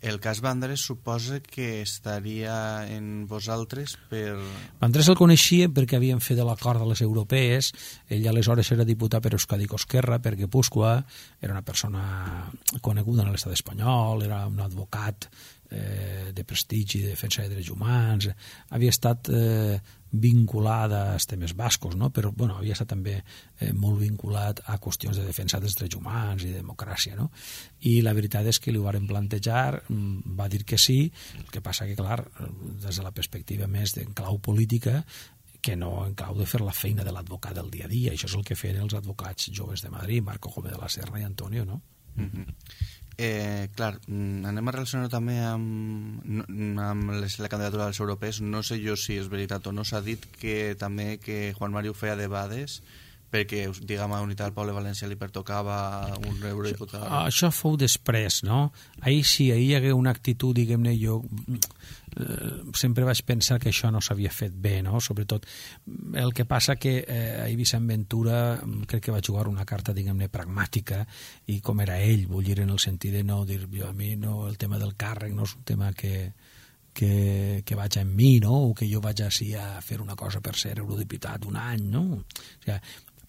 El cas Vandrés suposa que estaria en vosaltres per... Vandrés el coneixia perquè havien fet l'acord de les europees. Ell aleshores era diputat per Euskadi Esquerra, per Guipúscoa, era una persona coneguda en l'estat espanyol, era un advocat eh, de prestigi, de defensa de drets humans, havia estat eh, vinculada als temes bascos, no? Però bueno, havia estat també eh, molt vinculat a qüestions de defensa dels drets humans i de democràcia, no? I la veritat és que li ho varen plantejar, va dir que sí, el que passa que, clar, des de la perspectiva més en clau política, que no en clau de fer la feina de l'advocat del dia a dia. Això és el que feien els advocats joves de Madrid, Marco Gómez de la Serna i Antonio, no? Uh-huh. Eh, clar, anem a relacionar també amb, amb les, la candidatura dels europeus. No sé jo si és veritat o no, s'ha dit que també que Juan Mari ho feia de bades perquè, diguem, a Unitat del Poble Valencià li pertocava un eurodiputat. Això fou després, no? Ahir sí, ahir hi hagué una actitud, diguem-ne, jo eh, sempre vaig pensar que això no s'havia fet bé, no? Sobretot el que passa que eh, ahir Vicent Ventura crec que va jugar una carta, diguem-ne, pragmàtica, i com era ell, vull dir, en el sentit de no dir, jo a mi no, el tema del càrrec no és un tema que que, que vaig en mi, no? O que jo vaig així a fer una cosa per ser eurodiputat un any, no? O sigui,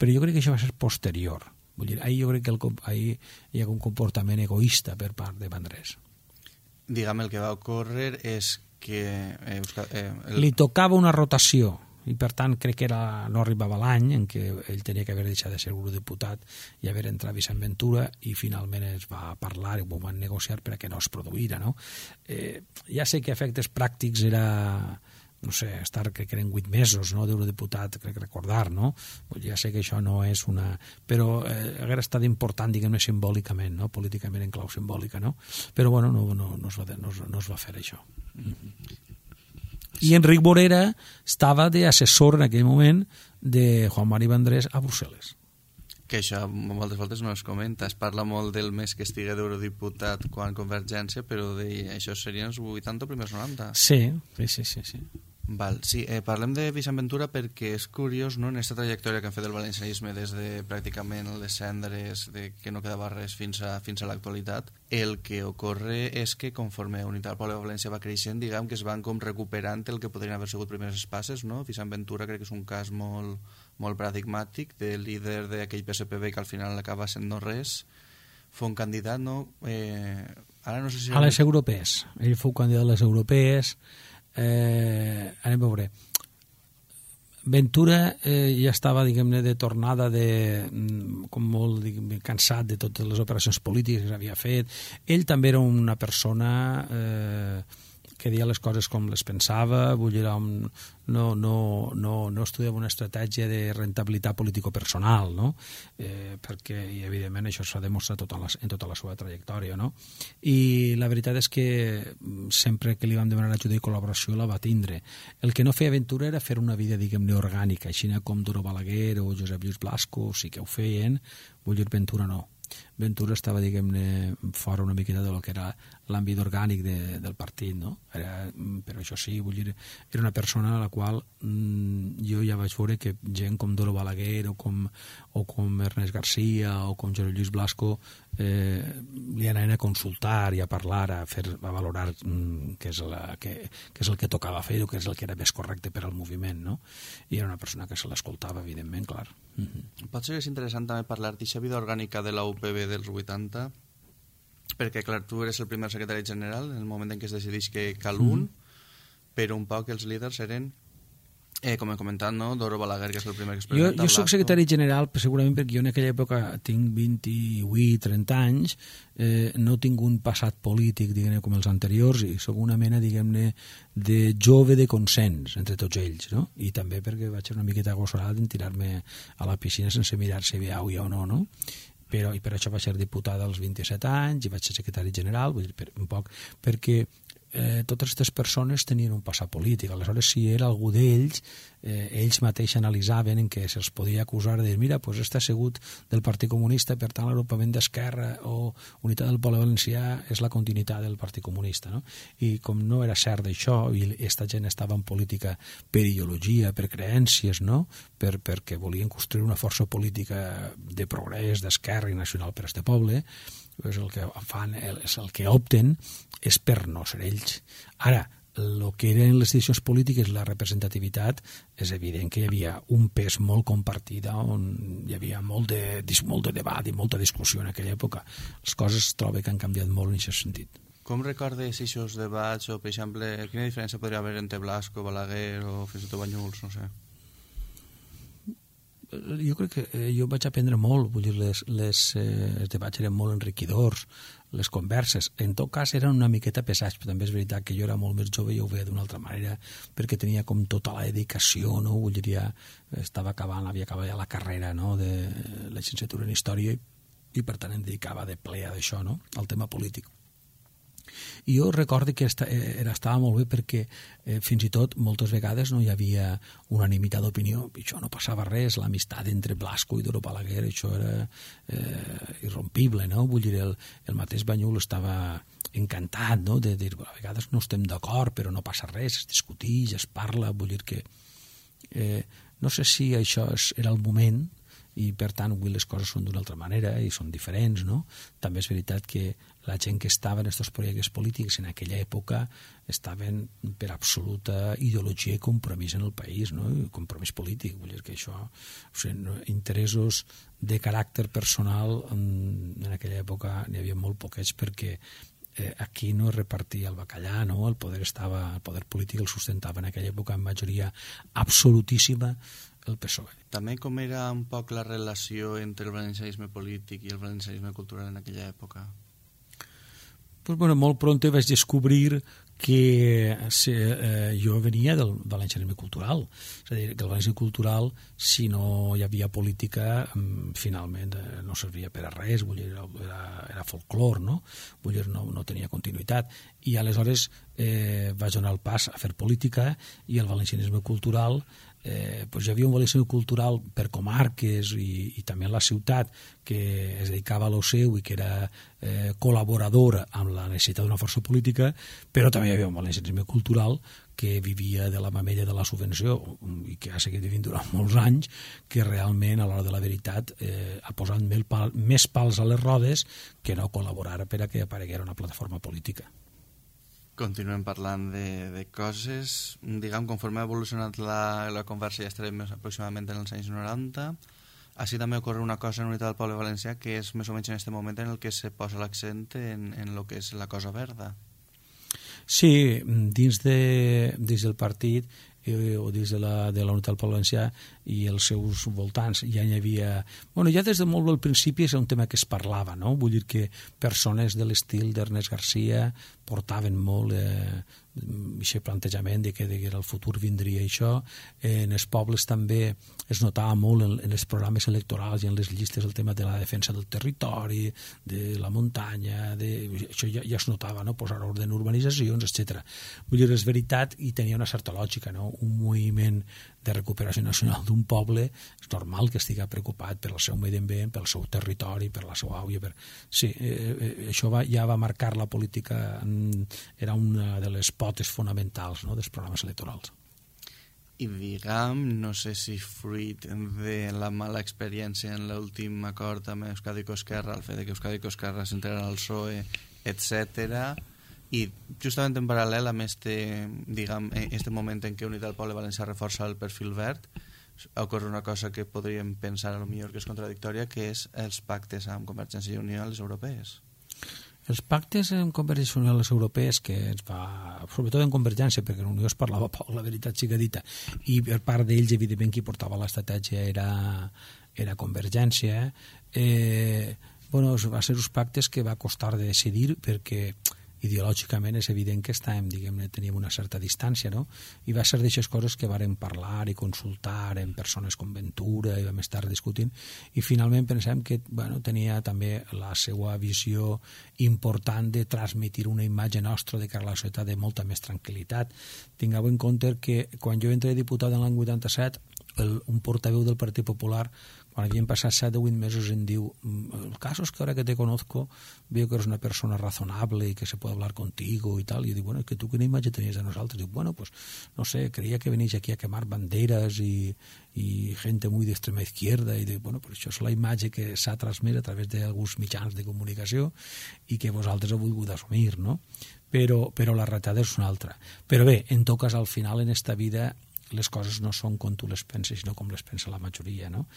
però jo crec que això va ser posterior. Vull dir, ahir jo crec que el, ahir hi ha un comportament egoista per part de Vandrés. Diguem, el que va ocórrer és que... Eh, eh, el... Li tocava una rotació, i per tant crec que era, no arribava l'any en què ell tenia que haver deixat de ser eurodiputat i haver entrat Vicent Ventura, i finalment es va parlar i ho van negociar perquè no es produïra, no? Eh, ja sé que a efectes pràctics era... no sé, estar, crec que eren vuit mesos, no?, d'eurodiputat, crec recordar, no? Pues ja sé que això no és una... Però eh, hauria estat important, diguem-ne, simbòlicament, no?, políticament en clau simbòlica, no? Però, bueno, no, no, no, es, va, no, es, no es va fer això. I Enric Morera estava d'assessor en aquell moment de Juan Mari Vandrés a Brussel·les. Que això moltes voltes no es comenta. Es parla molt del mes que estigui d'eurodiputat quan Convergència, però de, això serien els vuitanta o primers noranta. Sí, sí, sí, sí, sí. Val, sí, eh, parlem de Vicent Ventura perquè és curiós, no?, en aquesta trajectòria que han fet el valencianisme des de pràcticament les cendres, de que no quedava res fins a, fins a l'actualitat. El que ocorre és que conforme Unitat del Poble de València va creixent, diguem que es van com recuperant el que podrien haver sigut primeres espases, no? Vicent Ventura crec que és un cas molt, molt paradigmàtic de líder d'aquell P S P B que al final acaba sent no res. Fou un candidat, no? Eh, ara no sé si... A les europees. Ell fou candidat a les europees. Eh, anem a veure. Ventura eh, ja estava, diguem-ne, de tornada de, com molt cansat de totes les operacions polítiques que havia fet. Ell també era una persona eh, que deia les coses com les pensava, vull dir, no, no, no, no estudiava una estratègia de rentabilitat político-personal, no? Eh, perquè, i evidentment, això s'ha demostrat tota la, en tota la seva trajectòria, no? I la veritat és que sempre que li vam demanar ajuda i col·laboració la va tindre. El que no feia Ventura era fer una vida, diguem-ne, orgànica, així com Duro Balaguer o Josep Lluís Blasco, sí que ho feien, vull dir, Ventura no. Ventura estava, diguem-ne, fora una miqueta del que era l'àmbit orgànic de, del partit, no? Era, però això sí, vull dir, era una persona a la qual mmm, jo ja vaig veure que gent com Doro Balaguer o com, o com Ernest García o com Josep Lluís Blasco eh, li anaven a consultar i a parlar, a, fer, a valorar mm, què, és la, què, què és el que tocava fer o què és el que era més correcte per al moviment, no? I era una persona que se l'escoltava, evidentment, clar. Mm-hmm. Pot ser que és interessant també parlar d'aquesta vida orgànica de la U P B dels vuitanta, perquè clar, tu eres el primer secretari general en el moment en què es decideix que cal un, mm-hmm. però un poc els líders eren Eh, com he comentat, no? Doro Balaguer, que és el primer que Jo, experimenta. jo soc secretari general, segurament perquè jo en aquella època tinc vint-i-vuit trenta anys, eh, no tinc un passat polític, diguem-ne, com els anteriors, i soc una mena, diguem-ne, de jove de consens entre tots ells, no? I també perquè vaig ser una miqueta agossorat en tirar-me a la piscina sense mirar si hi havia o no, no? Però, i per això vaig ser diputada als vint-i-set anys i vaig ser secretari general, vull dir, per, un poc, perquè eh, totes aquestes persones tenien un passat polític. Aleshores, si era algú d'ells, eh, ells mateixos analitzaven en què se'ls podia acusar de dir, mira, doncs està assegut del Partit Comunista, per tant l'agrupament d'Esquerra o Unitat del Poble Valencià és la continuïtat del Partit Comunista, no? I com no era cert d'això, i aquesta gent estava en política per ideologia, per creències, no? Per, perquè volien construir una força política de progrés, d'esquerra i nacional per a este poble, és el que fan, és el que opten és per no ser ells. Ara, el que eren les decisions polítiques, la representativitat, és evident que hi havia un pes molt compartit on hi havia molt de, molt de debat i molta discussió en aquella època. Les coses trobo que han canviat molt en aquest sentit. Com recordes aquests debats o, per exemple, quina diferència podria haver entre Blasco, Balaguer o fins i tot Banyuls, no sé? Jo crec que eh, jo vaig aprendre molt, vull dir, les, les, eh, els debats eren molt enriquidors, les converses, en tot cas eren una miqueta pesats, però també és veritat que jo era molt més jove i ho veia d'una altra manera, perquè tenia com tota la dedicació, no? Vull dir, ja estava acabant, havia acabat ja la carrera, no?, de la llicenciatura en Història, i per tant em dedicava de ple a això, no?, al tema polític. I jo recordo que esta, era, estava molt bé perquè eh, fins i tot moltes vegades no hi havia unanimitat d'opinió, i això no passava res, l'amistat entre Blasco i Doro Balaguer, això era eh, irrompible, no? Vull dir, el, el mateix Banyul estava encantat, no?, de dir, a vegades no estem d'acord, però no passa res, es discuteix, es parla, vull dir que eh, no sé si això és, era el moment, i per tant avui les coses són d'una altra manera i són diferents, no? També és veritat que la gent que estava en aquests projectes polítics en aquella època estaven per absoluta ideologia i compromís en el país, no? I compromís polític, vull dir que això, o sigui, interessos de caràcter personal en, en aquella època n'hi havia molt poquets perquè eh, aquí no es repartia el bacallà, no? El poder estava, el poder polític el sustentava en aquella època en majoria absolutíssima el P S O E. També com era un poc la relació entre el valencianisme polític i el valencianisme cultural en aquella època? Pues bueno, molt pronto vaig descobrir que eh, jo venia del valencianisme cultural, és a dir, que el valencianisme cultural, si no hi havia política, finalment eh, no servia per a res, vull dir, era, era folclor, no? Vull dir, no, no tenia continuïtat, i aleshores eh, vaig donar el pas a fer política, i el valencianisme cultural Eh, pues hi havia un valencianisme cultural per comarques i, i també en la ciutat que es dedicava a lo seu i que era eh, col·laboradora amb la necessitat d'una força política, però també hi havia un valencianisme cultural que vivia de la mamella de la subvenció i que ha seguit vivint durant molts anys, que realment a l'hora de la veritat eh, ha posat pal, més pals a les rodes que no col·laborar per a que apareguera una plataforma política. Continuem parlant de, de coses. Diguem, conforme ha evolucionat la, la conversa, ja estarem més aproximadament en els anys noranta. Així també ocorre una cosa en Unitat del Poble Valencià, que és més o menys en aquest moment en el que se posa l'accent en, en el que és la Cosa Verda. Sí, dins, de, dins del partit eh, o dins de la, de la Unitat del Poble Valencià i els seus voltants ja hi havia... Bueno, ja des de molt del principi és un tema que es parlava, no? Vull dir que persones de l'estil d'Ernest Garcia portaven molt eh, aquest plantejament de que, de que el futur vindria això. Eh, en els pobles també es notava molt en, en els programes electorals i en les llistes el tema de la defensa del territori, de la muntanya, de, això ja, ja es notava, no? Posar ordre en urbanitzacions, etcètera. Vull dir, és veritat i tenia una certa lògica, no? Un moviment de recuperació nacional d'un poble és normal que estigui preocupat per el seu medi ambient, pel seu territori, per la seva àvia. Per... Sí, eh, eh, això va, ja va marcar la política, en, era una de les potes fonamentals, no?, dels programes electorals. I diguem, no sé si fruit de la mala experiència en l'últim acord amb Euskadi i Esquerra, el fet de que Euskadi i Esquerra s'integren al P S O E, etcètera, i justament en paral·lel amb este, diguem, este moment en què Unitat del Poble Valencià reforça el perfil verd, ocorre una cosa que podríem pensar a lo millor que és contradictòria, que és els pactes amb Convergència i Unió a les europees. Els pactes en Convergència i Unió, les europees, que es va, sobretot en Convergència, perquè en Unió es parlava poc, la veritat siga dita, i per part d'ells, evidentment, qui portava l'estratègia era, era Convergència, eh, bueno, va ser uns pactes que va costar de decidir perquè ideològicament és evident que estàvem, diguem-ne, teníem una certa distància, no? I va ser d'aixes coses que vàrem parlar i consultar en persones com Ventura i vam estar discutint i finalment pensem que, bueno, tenia també la seva visió important de transmetre una imatge nostra de cara a la societat de molta més tranquil·litat. Tingueu en compte que quan jo entré diputat en l'any vuitanta-set, el, un portaveu del Partit Popular, quan havien passat set o vuit mesos, em diu: el caso es que ahora que te conozco veo que eres una persona razonable y que se puede hablar contigo y tal. Y yo digo, bueno, es que tú qué imagen tenías de nosotros. Digo, bueno, pues no sé, creía que venís aquí a quemar banderas y, y gente muy de extrema izquierda. Y digo, bueno, pues això és la imatge que s'ha transmès a través d'alguns mitjans de comunicació i que vosaltres heu volgut assumir, no? Però, però la realitat és una altra. Però bé, en tot cas, al final, en esta vida, les coses no són com tu les penses, sinó com les pensa la majoria, no?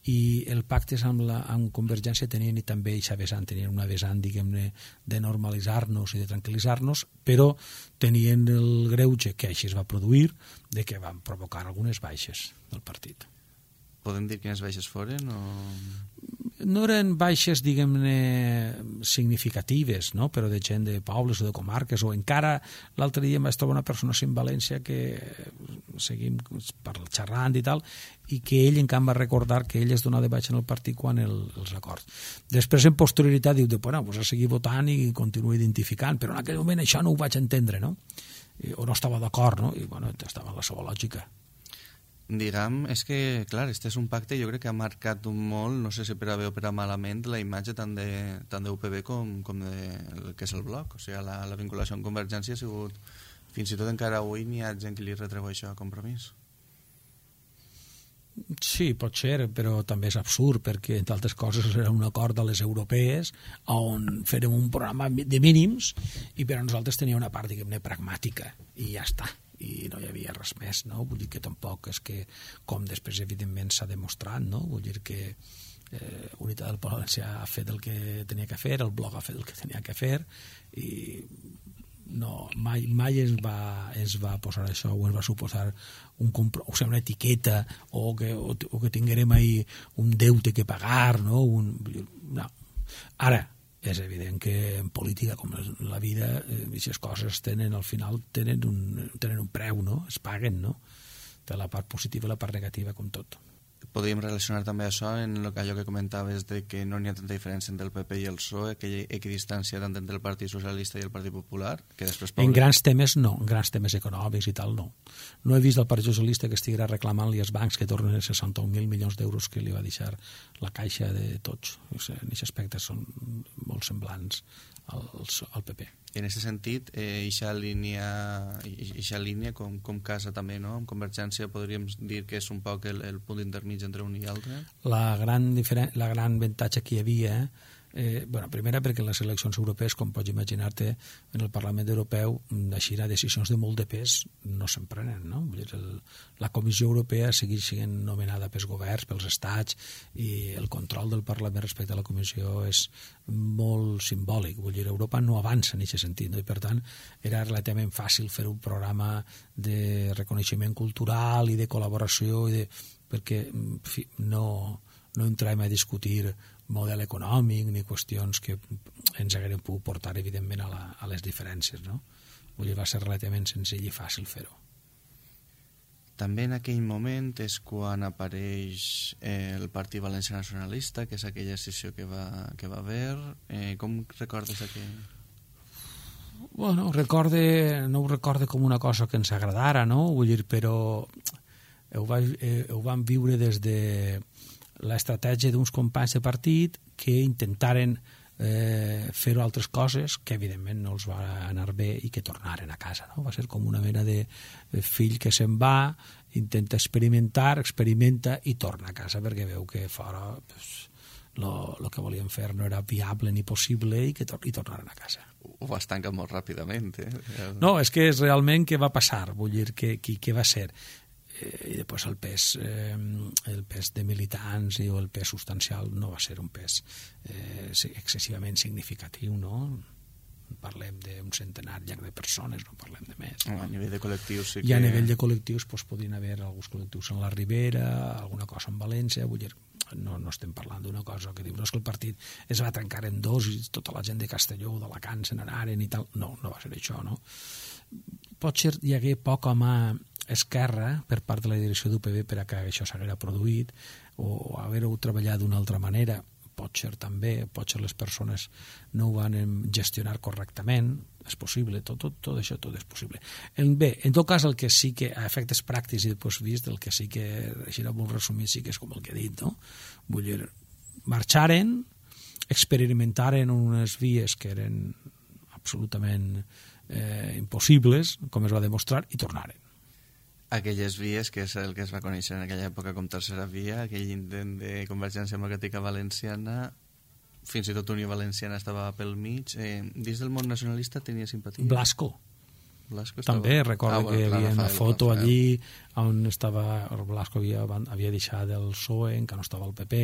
I el pactes amb, la, amb Convergència tenien i també eixa vessant, tenien una vessant, diguem-ne, de normalitzar-nos i de tranquil·litzar-nos, però tenien el greuge que així es va produir, de que van provocar algunes baixes del partit. Podem dir quines baixes foren? O... No eren baixes, diguem-ne, significatives, no? Però de gent de pobles o de comarques, o encara l'altre dia em vaig trobar una persona sin València que seguim xerrant i tal, i que ell encara va recordar que ell es donava de baixa en el partit quan el, els acords. Després, en posterioritat, diu, bueno, pues a seguir votant i continuo identificant, però en aquell moment això no ho vaig entendre, no? I, o no estava d'acord, no? I, bueno, estava en la seva lògica. Diguem, és que, clar, este és un pacte jo crec que ha marcat un molt, no sé si per a bé o per a malament, la imatge tant de, tant de U P B com, com de el que és el bloc. O sigui, la, la vinculació amb Convergència ha sigut, fins i tot encara avui n'hi ha gent que li retreu això a Compromís. Sí, pot ser, però també és absurd, perquè, entre altres coses, era un acord de les europees on fèrem un programa de mínims i per a nosaltres tenia una part, diguem-ne, pragmàtica, i ja està. I no hi havia res més, no? Vull dir que tampoc és que, com després evidentment s'ha demostrat, no? Vull dir que eh, Unitat del Valencià ha fet el que tenia que fer, el Bloc ha fet el que tenia que fer, i no, mai, mai ens va, ens va posar això, o ens va suposar un compro, o sigui, una etiqueta, o que, o, o que tinguérem ahí un deute que pagar, no? Un, no. Ara, és evident que en política, com en la vida, aquestes coses tenen, al final, tenen un, tenen un preu, no? Es paguen, no? Té la part positiva i la part negativa, com tot. Podríem relacionar també això en allò que comentaves de que no n'hi ha tanta diferència entre el P P i el P S O E, aquella equidistància tant entre el Partit Socialista i el Partit Popular, que després... En grans temes no, en grans temes econòmics i tal no. No he vist el Partit Socialista que estiguera reclamant-li als bancs que tornen seixanta mil milions d'euros que li va deixar la caixa de tots. O sigui, en aquest aspecte són molt semblants al, al P P. I en aquest sentit, eh, eixa línia, eixa línia com, com casa també, no? Amb Convergència podríem dir que és un poc el, el punt intermig entre un i altre? La gran, diferent, la gran avantatge que hi havia, eh, bueno, primera perquè les eleccions europees, com pots imaginar-te, en el Parlament Europeu, així decisions de molt de pes no se'n prenen, no? Vull dir, el, la Comissió Europea segueix sent nomenada pels governs, pels estats, i el control del Parlament respecte a la Comissió és molt simbòlic. Vull dir, Europa no avança en aquest sentit, no? I per tant era relativament fàcil fer un programa de reconeixement cultural i de col·laboració i de... perquè en fi, no, no entrem a discutir model econòmic ni qüestions que ens hagueren pogut portar evidentment a, la, a les diferències, no? Vull dir, va ser relativament senzill i fàcil fer-ho. També en aquell moment és quan apareix eh, el Partit Valencià Nacionalista, que és aquella sessió que va, que va haver. Eh, com recordes aquell? Bueno, recorde, no ho recorde com una cosa que ens agradara, no? Vull dir, però ho, va, eh, ho vam viure des de l'estratègia d'uns companys de partit que intentaren eh, fer altres coses que evidentment no els va anar bé i que tornaren a casa, no? Va ser com una mena de fill que se'n va, intenta experimentar, experimenta i torna a casa perquè veu que fora pues, lo, lo que volien fer no era viable ni possible i que tor i tornaren a casa. Ho vas tancar molt ràpidament, eh? No, és que és realment què va passar, vull dir, què, què va ser. I després el pes, eh, el pes de militants o el pes substancial no va ser un pes eh, excessivament significatiu, no? parlem d'un centenar llarg de persones, no parlem de més. A nivell de col·lectius sí que... I a nivell de col·lectius doncs, podien haver alguns col·lectius en la Ribera, alguna cosa en València, vull dir, no, no estem parlant d'una cosa que diu, no és que el partit es va trencar en dos i tota la gent de Castelló o d'Alacant se n'anaren i tal. No, no va ser això, no? Potser hi hagué poca mà esquerra per part de la direcció d'U P B per a que això s'haguera produït o haver-ho treballat d'una altra manera. Potser també, potser les persones no ho van gestionar correctament, és possible, tot, tot, tot això tot és possible. En, bé, en tot cas el que sí que a efectes pràctics i després vist, el que sí que així era molt resumit sí que és com el que he dit, no? Vull dir, marxaren, experimentaren unes vies que eren absolutament eh, impossibles, com es va demostrar, i tornaren. Aquelles vies, que és el que es va conèixer en aquella època com tercera via, aquell intent de Convergència Democràtica Valenciana, fins i tot Unió Valenciana estava pel mig. Eh, dins del món nacionalista tenia simpatia? Blasco. Blasco estava... També recordo ah, bueno, que hi havia una foto Rafael. allí on estava, el Blasco havia, havia deixat el P S O E, encara no estava el P P,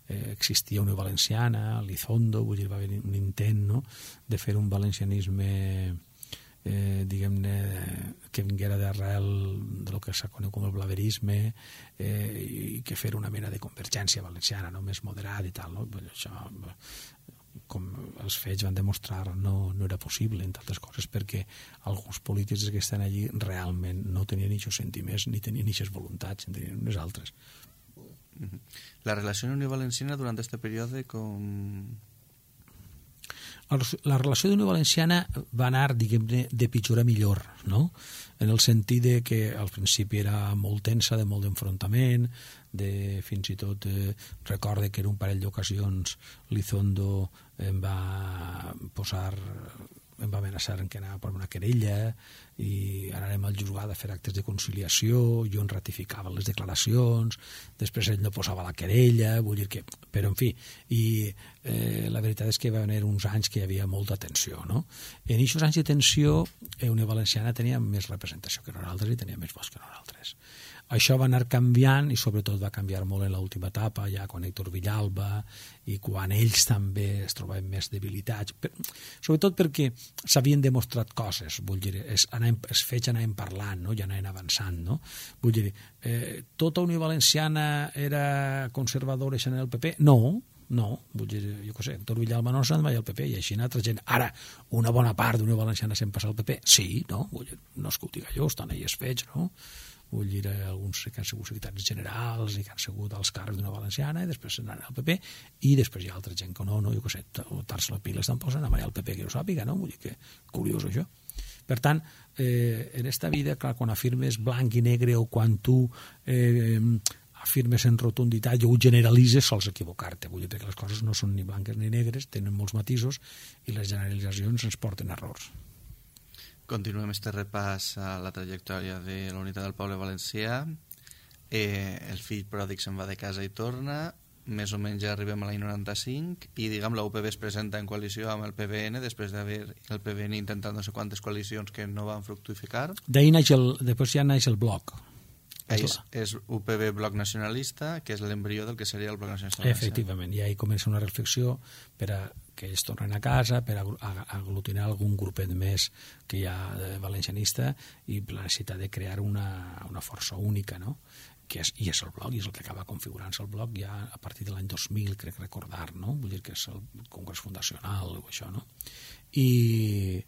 eh, existia Unió Valenciana, l'Izondo, vull dir, va haver un intent, no?, de fer un valencianisme... Eh, diguem-ne que vinguera d'arrel de lo que s'ha conegut com el blaverisme eh, i que fer una mena de convergència valenciana, no?, més moderada i tal, no? Això, com els fets van demostrar, no, no era possible, entre altres coses perquè alguns polítics que estan allí realment no tenien aquests sentiments ni tenien aquestes voluntats, en tenien unes altres. La relació amb Unió Valenciana durant aquest període com... La relació d'Unió Valenciana va anar, diguem-ne, de pitjor a millor, no? En el sentit de que al principi era molt tensa, de molt d'enfrontament, de fins i tot eh, recorde que en un parell d'ocasions l'Izondo em va posar, em va amenaçar en que anava per una querella i anàrem al juzgat a fer actes de conciliació, jo en ratificava les declaracions, després ell no posava la querella, vull dir que... Però, en fi, i eh, la veritat és que va haver uns anys que hi havia molta tensió, no? En aquests anys de tensió, eh, Unió Valenciana tenia més representació que nosaltres i tenia més vots que nosaltres. Això va anar canviant i sobretot va canviar molt en l'última etapa, ja quan Héctor Villalba i quan ells també es trobaven més debilitats, per, sobretot perquè s'havien demostrat coses, vull dir, es, anàvem, es fets anàvem parlant, no?, i anàvem avançant, no? Vull dir, eh, tota Unió Valenciana era conservadora en el P P? No, no, vull dir, jo què sé, Héctor Villalba no s'ha mai al P P i així altra gent. Ara, una bona part d'Unió Valenciana se'n passa al P P? Sí, no? Vull dir, no és que ho diga jo, estan ells fets, no? Vull dir, alguns que han sigut secretaris generals i que han sigut als càrrecs d'Unió Valenciana i després se'n anat al P P i després hi ha altra gent que no, no, jo què sé, tar-se la pila estan posant a mai al P P que no sàpiga, no? Vull dir que curiós això. Per tant, eh, en esta vida, clar, quan afirmes blanc i negre o quan tu eh, afirmes en rotunditat o ho generalitzes sols equivocar-te, vull dir que les coses no són ni blanques ni negres, tenen molts matisos i les generalitzacions ens porten a errors. Continuem este repàs a la trajectòria de la Unitat del Poble Valencià. Eh, el fill pròdig se'n va de casa i torna, més o menys ja arribem a l'any noranta-cinc i diguem la U P B es presenta en coalició amb el P V N després d'haver el P V N intentat no sé quantes coalicions que no van fructificar. D'ahir naix el, després ja naix el bloc. És, és U P B Bloc Nacionalista, que és l'embrió del que seria el Bloc Nacionalista. Efectivament, i ahí comença una reflexió per a que ells tornen a casa, per a aglutinar algun grupet més que hi ha de valencianista i la necessitat de crear una, una força única, no? Que és, i és el bloc, i és el que acaba configurant-se el bloc ja a partir de l'any dos mil, crec recordar, no? Vull dir que és el congrés fundacional o això, no? I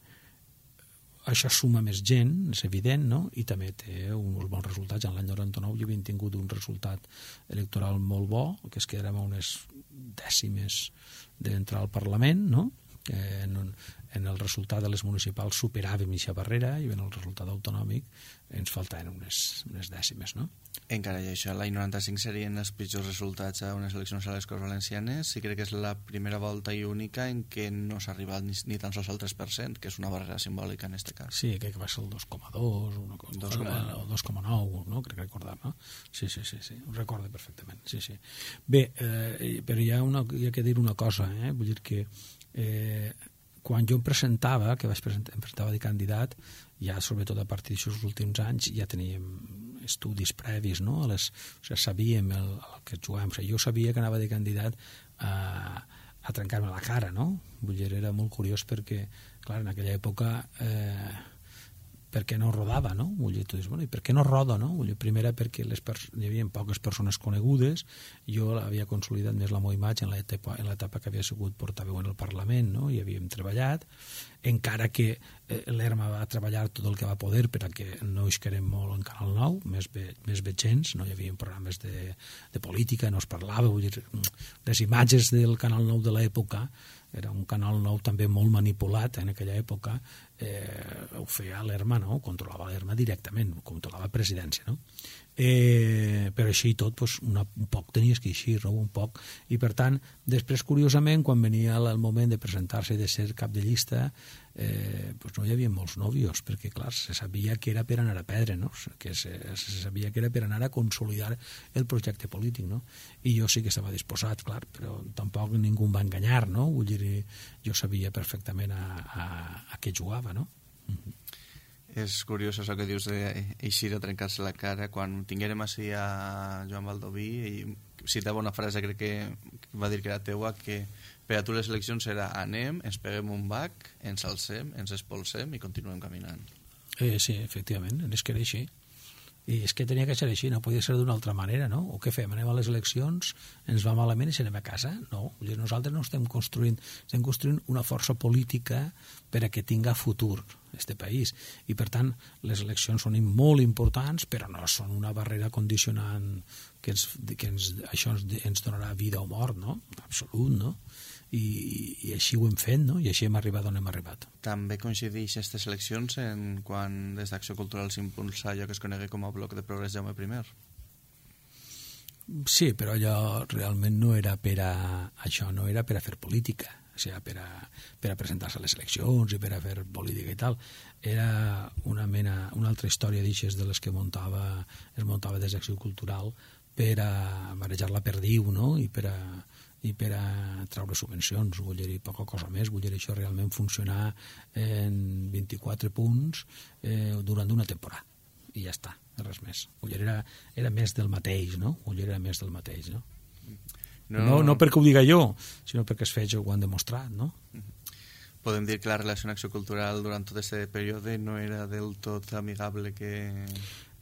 això suma més gent, és evident, no? I també té uns bons resultats. En l'any noranta-nou ja havien tingut un resultat electoral molt bo, que es quedàrem a unes dècimes d'entrar al Parlament, no? En, en el resultat de les municipals superàvem aquesta barrera i en el resultat autonòmic ens faltaven unes, unes dècimes, no? Encara i això, l'any noranta-cinc serien els pitjors resultats a unes eleccions a les Corts Valencianes i crec que és la primera volta i única en què no s'ha arribat ni, ni tan sols al tres per cent, que és una barrera simbòlica en aquest cas. Sí, crec que va ser el dos coma dos o dos coma nou, no? Crec recordar, no? Sí, sí, sí, sí, ho recordo perfectament, sí, sí. Bé, eh, però hi ha, una, hi ha que dir una cosa, eh? Vull dir que eh, quan jo em presentava, que vaig presentar, em presentava de candidat, ja sobretot a partir d'aquests últims anys ja teníem estudis previs, no? A les, o sigui, sabíem el, el que jugàvem. O sigui, jo sabia que anava de candidat a, a trencar-me la cara, no? Vull dir, era molt curiós perquè, clar, en aquella època eh, per què no rodava, no? Vull dir, tu dius, bueno, i per què no roda, no? Vull dir, primera perquè les hi havia poques persones conegudes, jo havia consolidat més la meva imatge en l'etapa, en l'etapa que havia sigut portaveu en el Parlament, no? I havíem treballat, encara que eh, l'Erma va treballar tot el que va poder perquè no isquerem molt en Canal nou, més bé, més bé gens, no hi havia programes de, de política, no es parlava, vull dir, les imatges del Canal nou de l'època, era un Canal nou també molt manipulat en aquella època, eh, ho feia l'Erma, no? Controlava l'Erma directament, controlava presidència, no? Eh, però així i tot, pues, una, un poc tenies que eixir, no? Un poc, i per tant, després, curiosament, quan venia el moment de presentar-se i de ser cap de llista, eh, pues no hi havia molts nòvios, perquè, clar, se sabia que era per anar a perdre, no? Que se, se sabia que era per anar a consolidar el projecte polític, no? I jo sí que estava disposat, clar, però tampoc ningú em va enganyar, no? Vull dir, jo sabia perfectament a, a, a què jugava, no? Mm-hmm. És curiós això que dius d'eixir a trencar-se la cara. Quan tinguérem així a Joan Baldoví, i citava una frase, crec que va dir que era teua, que per a tu les eleccions era anem, ens peguem un bac, ens alcem, ens expulsem i continuem caminant. Eh, sí, efectivament, és que era així. I és que tenia que ser així, no podia ser d'una altra manera, no? O què fem? Anem a les eleccions, ens va malament i se anem a casa? No, nosaltres no estem construint, estem construint una força política per a que tinga futur este país. I, per tant, les eleccions són molt importants, però no són una barrera condicionant que, ens, que ens, això ens, ens donarà vida o mort, no? Absolut, no? I, i així ho hem fet, no? I així hem arribat on hem arribat. També coincideix aquestes eleccions en quan des d'Acció Cultural s'impulsa allò que es conegui com a Bloc de Progrés Jaume primer. Sí, però allò realment no era per a això, no era per a fer política, o sigui, per a, per a presentar-se a les eleccions i per a fer política i tal. Era una mena, una altra història d'ixes de les que muntava, es muntava des d'Acció Cultural per a marejar la perdiu, no? I per a i per a treure subvencions, vull dir, poca cosa més, vull dir, això realment funcionar en vint-i-quatre punts eh, durant una temporada, i ja està, res més. Vull dir, era, era més del mateix, no? Vull dir, era més del mateix, no? No, no, no perquè ho diga jo, sinó perquè els fets ho han demostrat, no? Podem dir que la relació amb Acció Cultural durant tot aquest període no era del tot amigable que...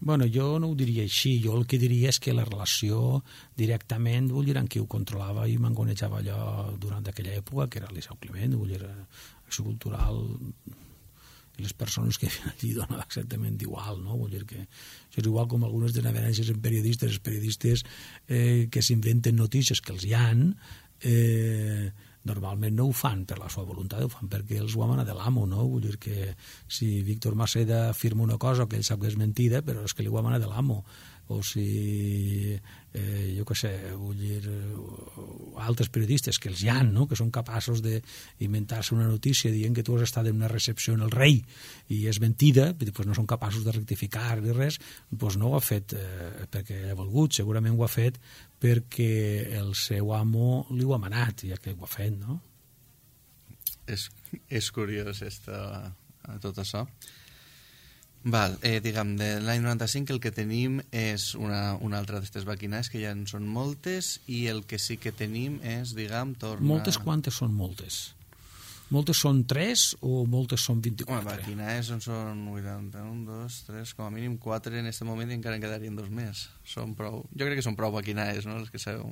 Bueno, jo no ho diria així, jo el que diria és que la relació directament, vull dir, en qui ho controlava i mangonejava allò durant aquella època, que era l'Isau Climent, vull dir, Acció Cultural i les persones que havien allí donava exactament igual, no? Vull dir que això és igual com algunes desavenències en periodistes, els periodistes eh, que s'inventen notícies que els hi han, eh, normalment no ho fan per la seva voluntat, ho fan perquè els ho ha manat de l'amo, no? Vull dir que si Víctor Maceda afirma una cosa que ell sap que és mentida, però és que li ho ha manat de l'amo. O si, eh, jo què sé, vull dir, altres periodistes que els hi han, no? Que són capaços d'inventar-se una notícia dient que tu has estat en una recepció en el rei i és mentida, doncs no són capaços de rectificar ni res, doncs no ho ha fet eh, perquè ha volgut, segurament ho ha fet perquè el seu amo li ho ha manat, ja que ho ha fet, no? És, és curiós esta, tot això. Val, eh, diguem, de l'any noranta-cinc el que tenim és una, una altra d'aquestes maquinàries que ja en són moltes i el que sí que tenim és, diguem, torna... Moltes quantes són moltes? Moltes són tres o moltes són vint-i-quatre? Home, maquinàries en són vuitanta-un, dos, tres, com a mínim quatre en aquest moment i encara en quedarien dos més. Són prou... Jo crec que són prou maquinàries, no?, les que sabeu...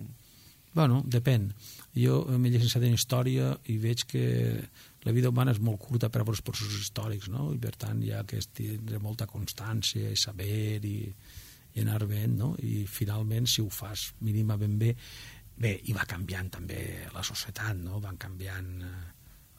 Bueno, depèn. Jo m'he llicenciat en Història i veig que la vida humana és molt curta per a els processos històrics, no? I per tant hi ha que tindre molta constància i saber i, i anar ben, no? I finalment, si ho fas mínimament bé, bé, i va canviant també la societat, no? Van canviant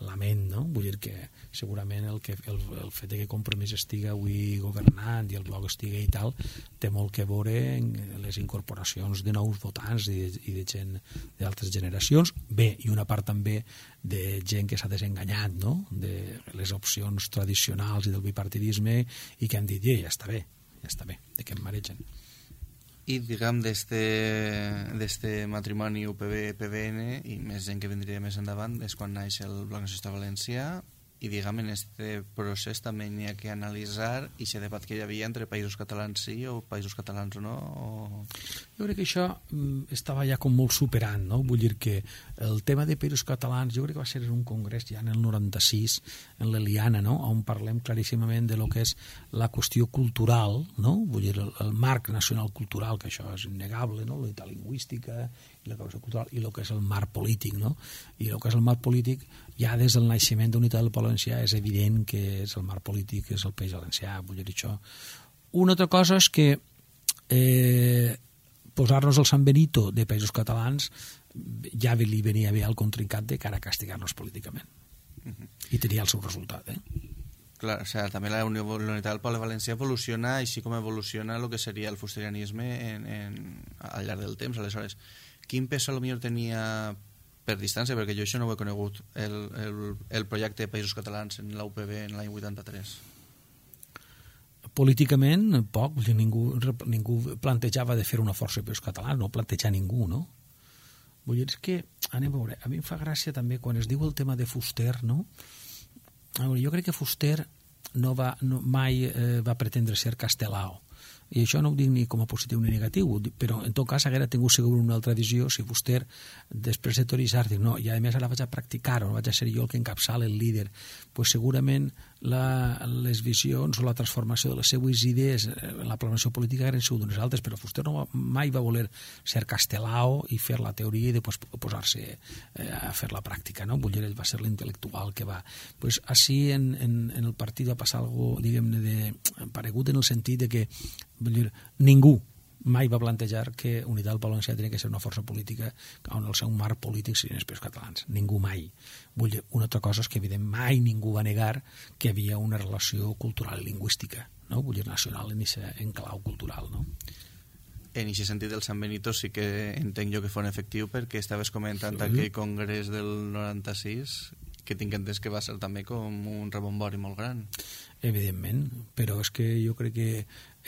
la ment, no? Vull dir que segurament el, que, el, el fet que Compromís estigui avui governant i el Bloc estigui i tal, té molt que veure en les incorporacions de nous votants i de, i de gent d'altres generacions, bé, i una part també de gent que s'ha desenganyat, no?, de les opcions tradicionals i del bipartidisme i que han dit, ja està bé, ja està bé, de què em maregen. I, diguem, d'este matrimoni U P B P B N i més gent que vindria més endavant és quan naix el Bloc Nacionalista Valencià i diguem, en este procés també n'hi ha que analitzar i aquest debat que hi havia entre països catalans sí o països catalans no. O... Jo crec que això estava ja com molt superant, no? Vull dir que el tema de països catalans jo crec que va ser en un congrés ja en el noranta-sis, en l'Eliana, no? On parlem claríssimament de lo que és la qüestió cultural, no? Vull dir, el, el marc nacional cultural, que això és innegable, no? La lingüística i la qüestió cultural, i el que és el marc polític, no? I el que és el marc polític, ja des del naixement d'Unitat del Poble Valencià és evident que és el marc polític, és el País Valencià, vull dir això. Una altra cosa és que eh, posar-nos el San Benito de països catalans ja li venia bé al contrincat de cara a castigar-nos políticament. Uh-huh. I tenia el seu resultat, eh? Clar, o sea, també la Unitat del Poble Valencià evoluciona així com evoluciona el que seria el fusterianisme en, en, al llarg del temps. Aleshores, quin pes potser tenia per distància, perquè jo això no ho he conegut, el, el, el projecte de Països Catalans en la U P B en l'any vuitanta-tres? Políticament, poc. Ningú, ningú plantejava de fer una força de Països Catalans, no plantejar ningú, no? Vull dir, és que, anem a veure, a mi em fa gràcia també quan es diu el tema de Fuster, no? A veure, jo crec que Fuster no va, no, mai eh, va pretendre ser Castelao. I això no ho dic ni com a positiu ni negatiu, però en tot cas haguera tingut segur una altra visió si Fuster, després de teoritzar, diu, no, i a més ara vaig a practicar-ho, vaig a ser jo el que encapçala el líder, pues segurament la, les visions o la transformació de les seues idees en la planació política eren sigut unes altres, però Fuster no va, mai va voler ser Castelao i fer la teoria i després posar-se eh, a fer la pràctica, no? Vull dir, ell va ser l'intel·lectual que va. Pues així en, en, en el partit va passar algo, diguem-ne, de paregut en el sentit de que vull dir, ningú mai va plantejar que Unitat del Poble Valencià tenia que ser una força política on el seu marc polític serien els països catalans. Ningú mai. Vull dir, una altra cosa és que, evident, mai ningú va negar que hi havia una relació cultural i lingüística, no? Vull dir, nacional en aquest enclau cultural, no? En aquest sentit, el San Benito sí que entenc jo que fos efectiu perquè estaves comentant sí. aquell congrés del noranta-sis que tinc entès que va ser també com un rebombori molt gran. Evidentment, però és que jo crec que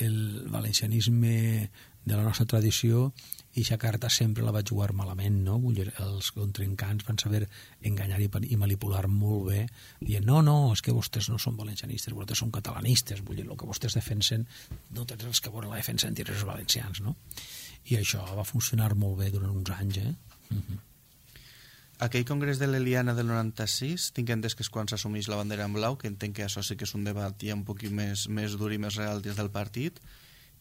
el valencianisme de la nostra tradició i aquesta carta sempre la va jugar malament, no? Vull dir, els contrincants van saber enganyar i, i manipular molt bé, dient, no, no, és que vostès no són valencianistes, vostès són catalanistes, vull dir, el que vostès defensen no tens els que volen la defensa entre els valencians, no? I això va funcionar molt bé durant uns anys, eh? Uh-huh. Aquell congrés de l'Eliana del noranta-sis, tinc entès que és quan s'assumeix la bandera en blau, que entenc que això sí que és un debat ja un poquit més, més dur i més real dins del partit,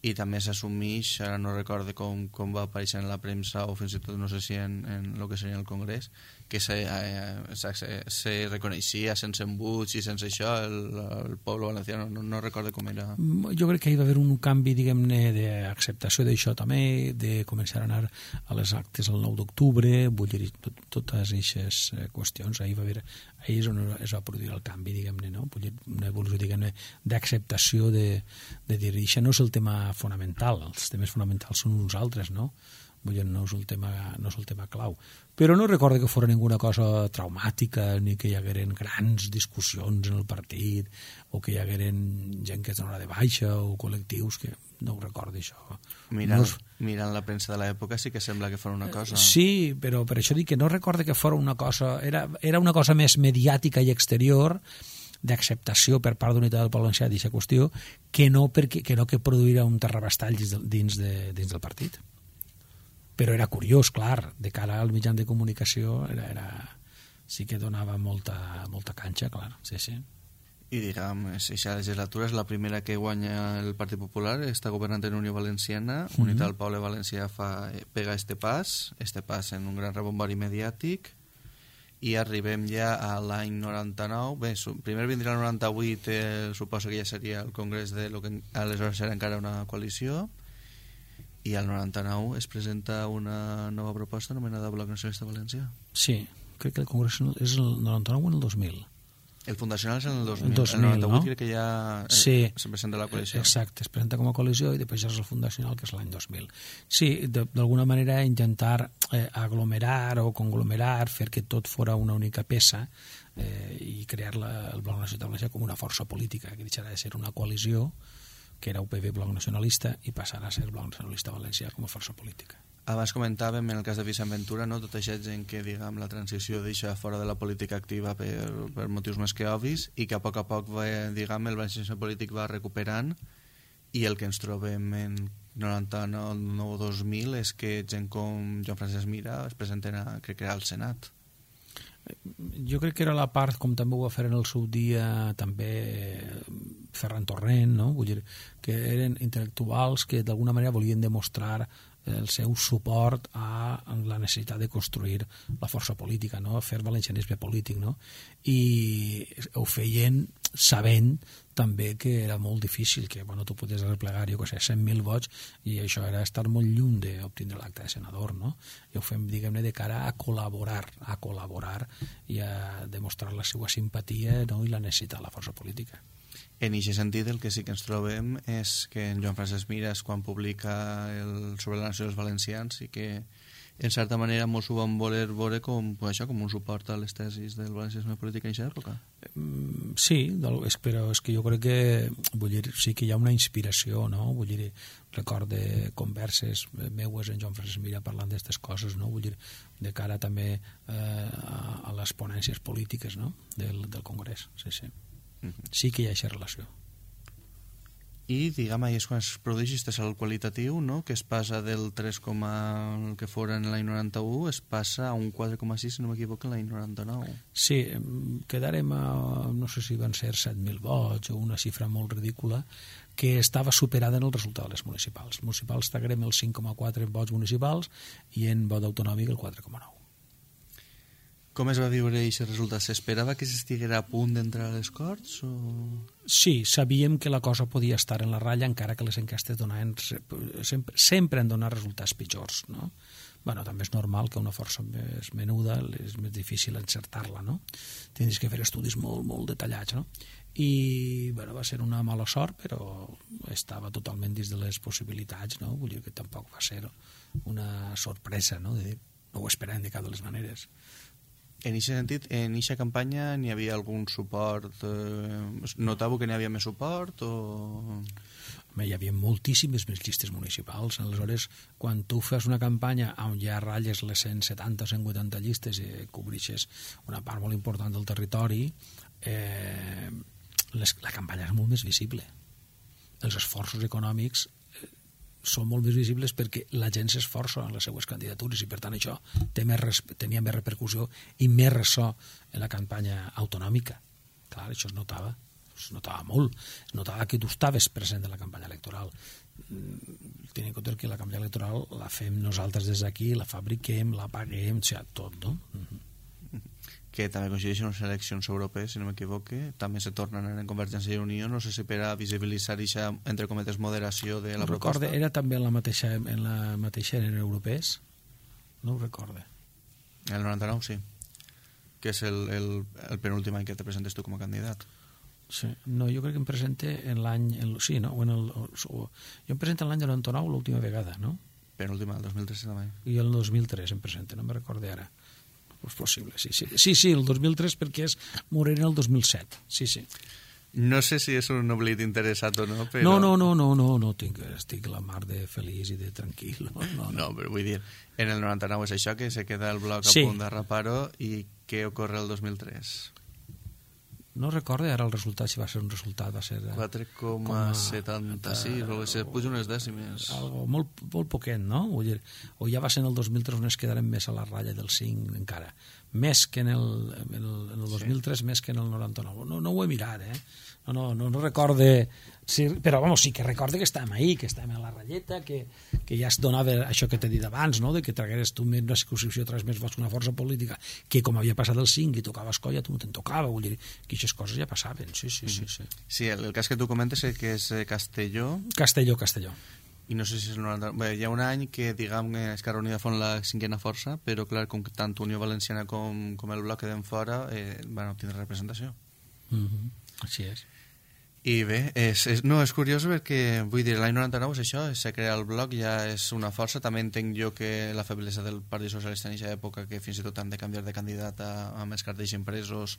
i també s'assumeix, ara no recordo com, com va aparèixer en la premsa o fins i tot no sé si en, en el que seria el congrés, que se, eh, se, se reconeixia sense embuts i sense això el, el poble valencià, no, no recordo com era. Jo crec que hi va haver un canvi, diguem-ne, d'acceptació d'això també, de començar a anar a les actes el nou d'octubre, vull dir, tot, totes aquestes qüestions, ahir va haver, ahir és on es va produir el canvi, diguem-ne, no? Vull dir, una evolució, diguem-ne, d'acceptació de, de dir, això no és el tema fonamental, els temes fonamentals són uns altres, no? Vull dir, no és el tema, no és el tema clau. Però no recordo que fos ninguna cosa traumàtica, ni que hi hagueren grans discussions en el partit, o que hi hagueren gent que es donarà de baixa, o col·lectius, que no ho recordo, això. Mirant, no és... mirant la premsa de l'època sí que sembla que fos una cosa. Sí, però per això dic que no recordo que fos una cosa... Era, era una cosa més mediàtica i exterior, d'acceptació per part d'Unitat del Poble Valencià d'aquesta qüestió, que no, perquè, que no que produirà un terrabastall dins, de, dins, de, dins del partit. Però era curiós, clar, de cara al mitjan de comunicació era, era, sí que donava molta, molta canxa, clar, sí, sí. I diguem, aquesta legislatura és la primera que guanya el Partit Popular, està governant en Unió Valenciana, mm-hmm. Unitat del Poble Valencià fa, pega este pas, este pas en un gran rebombori mediàtic, i arribem ja a l'any noranta-nou. Bé, primer vindrà el noranta-vuit, eh, suposo que ja seria el congrés de lo que aleshores era encara una coalició, i al noranta-nou es presenta una nova proposta anomenada Bloc Nacionalista Valencià. Sí, crec que el congrés és el noranta-nou o en el dos mil. El fundacional és en el dos mil. El dos mil, el noranta-vuit, no? crec que ja sí, se presenta la coalició. Exacte, es presenta com a coalició i després ja és el fundacional, que és l'any dos mil. Sí, d'alguna manera intentar eh, aglomerar o conglomerar, fer que tot fora una única peça eh, i crear la, el Bloc Nacionalista Valencià com una força política, que deixarà de ser una coalició, que era U P B Bloc Nacionalista, i passarà a ser Bloc Nacionalista Valencià com a força política. Abans comentàvem, en el cas de Vicent Ventura, no? Tota aquesta gent que, diguem, la transició deixa fora de la política activa per, per motius més que obvis i que a poc a poc, va, diguem, el valencianisme polític va recuperant, i el que ens trobem en noranta-nou dos mil és que gent com Joan Francesc Mira es presenten a, crec que era al Senat. Jo crec que era la part, com també ho va fer en el seu dia també Ferran Torrent, no? Vull dir, que eren intel·lectuals que d'alguna manera volien demostrar el seu suport a la necessitat de construir la força política, no? Fer valencianisme polític, no? I ho feien sabent també que era molt difícil, que bueno, tu podies replegar, jo que sé, cent mil vots, i això era estar molt lluny d'obtindre l'acte de senador, no? I ho fem, diguem-ne, de cara a col·laborar, a col·laborar i a demostrar la seva simpatia, no? I la necessitat de la força política. En aquest sentit, el que sí que ens trobem és que en Joan Francesc Mires, quan publica el, sobre la nació dels valencians, i que en certa manera mos ho van voler veure com, això, com un suport a les tesis del valencianisme polític en aquesta època. Sí, però és que jo crec que vull dir, sí que hi ha una inspiració, no? Vull dir, recorde converses meues en Joan Francesc Mira parlant d'aquestes coses, no? Vull dir, de cara també eh, a, a les ponències polítiques, no? del, del Congrés, sí, sí. Sí que hi ha aquesta relació. I, diguem, ahir és quan es produeix aquest salt qualitatiu, no? Que es passa del tres, que fora en l'any noranta-u, es passa a un quatre coma sis, si no m'equivoco, en l'any noranta-nou. Sí, quedarem a, no sé si van ser set mil vots o una xifra molt ridícula, que estava superada en el resultat de les municipals. Els municipals traguem els cinc coma quatre vots municipals i en vot autonòmic el quatre coma nou. Com es va viure aquest resultat? S'esperava que s'estiguera a punt d'entrar a les Corts? O... Sí, sabíem que la cosa podia estar en la ratlla, encara que les enquestes donaven, sempre, sempre han donat resultats pitjors, no? Bueno, també és normal que una força més menuda és més difícil encertar-la, no? Tens que fer estudis molt, molt detallats, no? I, bueno, va ser una mala sort, però estava totalment dins de les possibilitats, no? Vull dir que tampoc va ser una sorpresa, no? De dir, no ho esperàvem de cap de les maneres. En aquest sentit, en aquesta campanya n'hi havia algun suport? Eh, notàveu que n'hi havia més suport? O... Home, hi havia moltíssimes més llistes municipals. Aleshores, quan tu fas una campanya on ja ratlles les cent setanta o cent vuitanta llistes i cobreixes una part molt important del territori, eh, les, la campanya és molt més visible. Els esforços econòmics són molt més visibles perquè la gent s'esforça en les seues candidatures i per tant això té més, tenia més repercussió i més ressò en la campanya autonòmica. Clar, això es notava, es notava molt, es notava que tu estaves present en la campanya electoral. Tenint en compte que la campanya electoral la fem nosaltres des d'aquí, la fabriquem, la paguem, o sigui, tot, no? Uh-huh. Que també coincideixen les eleccions europees, si no m'equivoque, també se tornen en Convergència i Unió, no sé si per a visibilitzar aquesta, entre cometes, moderació de la no proposta. Recorde, era també en la mateixa, en la mateixa en europees? No ho recorde. El noranta-nou, sí. Que és el, el, el penúltim any que te presentes tu com a candidat. Sí. No, jo crec que em presente en l'any... Sí, no? O en el, o, jo em presento en l'any noranta-nou l'última vegada, no? Penúltima, el dos mil tres també. I el dos mil tres em presente, no me recorde ara. És possible, sí, sí. Sí, sí, el dos mil tres perquè és Morena el dos mil set. Sí, sí. No sé si és un oblit interessat o no, però... No, no, no, no, no, no tinc, estic la mar de feliç i de tranquil. No, no, no. no però vull dir, en el noranta-nou és això, que se queda el bloc sí. a punt de reparo, i què ocorre el dos mil tres? No recordo ara el resultat, si va ser un resultat, va ser... quatre coma setanta-sis, o se puja unes dècimes. Algo molt, molt poquet, no? Vull dir, o ja va ser en el dos mil tres on es quedarem més a la ratlla del cinc encara. Més que en el, en el, en el dos mil tres, sí. Més que en el noranta-nou. No, no ho he mirat, eh? No, no, no, no recorde... Sí, però, vamos, sí que recorde que estàvem ahí, que estàvem a la ratlleta, que, que ja es donava això que t'he dit abans, no?, de que tragueres tu més una circunscripció, tragués més vots que una força política, que com havia passat el cinc i tocava Escolla, tu no te'n tocava, vull dir, que aquestes coses ja passaven, sí, sí, sí. Sí, sí el, el cas que tu comentes és que és Castelló. Castelló, Castelló. I no sé si és el noranta... Bé, hi ha un any que, diguem, Esquerra Unida fon la cinquena força, però, clar, com que tant Unió Valenciana com, com el bloc queden fora, eh, van obtenir representació. Mm-hmm. Així és. I bé, és, és, no, és curiós perquè, vull dir, l'any noranta-nou és això, se crea el bloc, ja és una força. També entenc jo que la feblesa del Partit Socialista en aquesta època, que fins i tot han de canviar de candidat a, a més cartells impresos,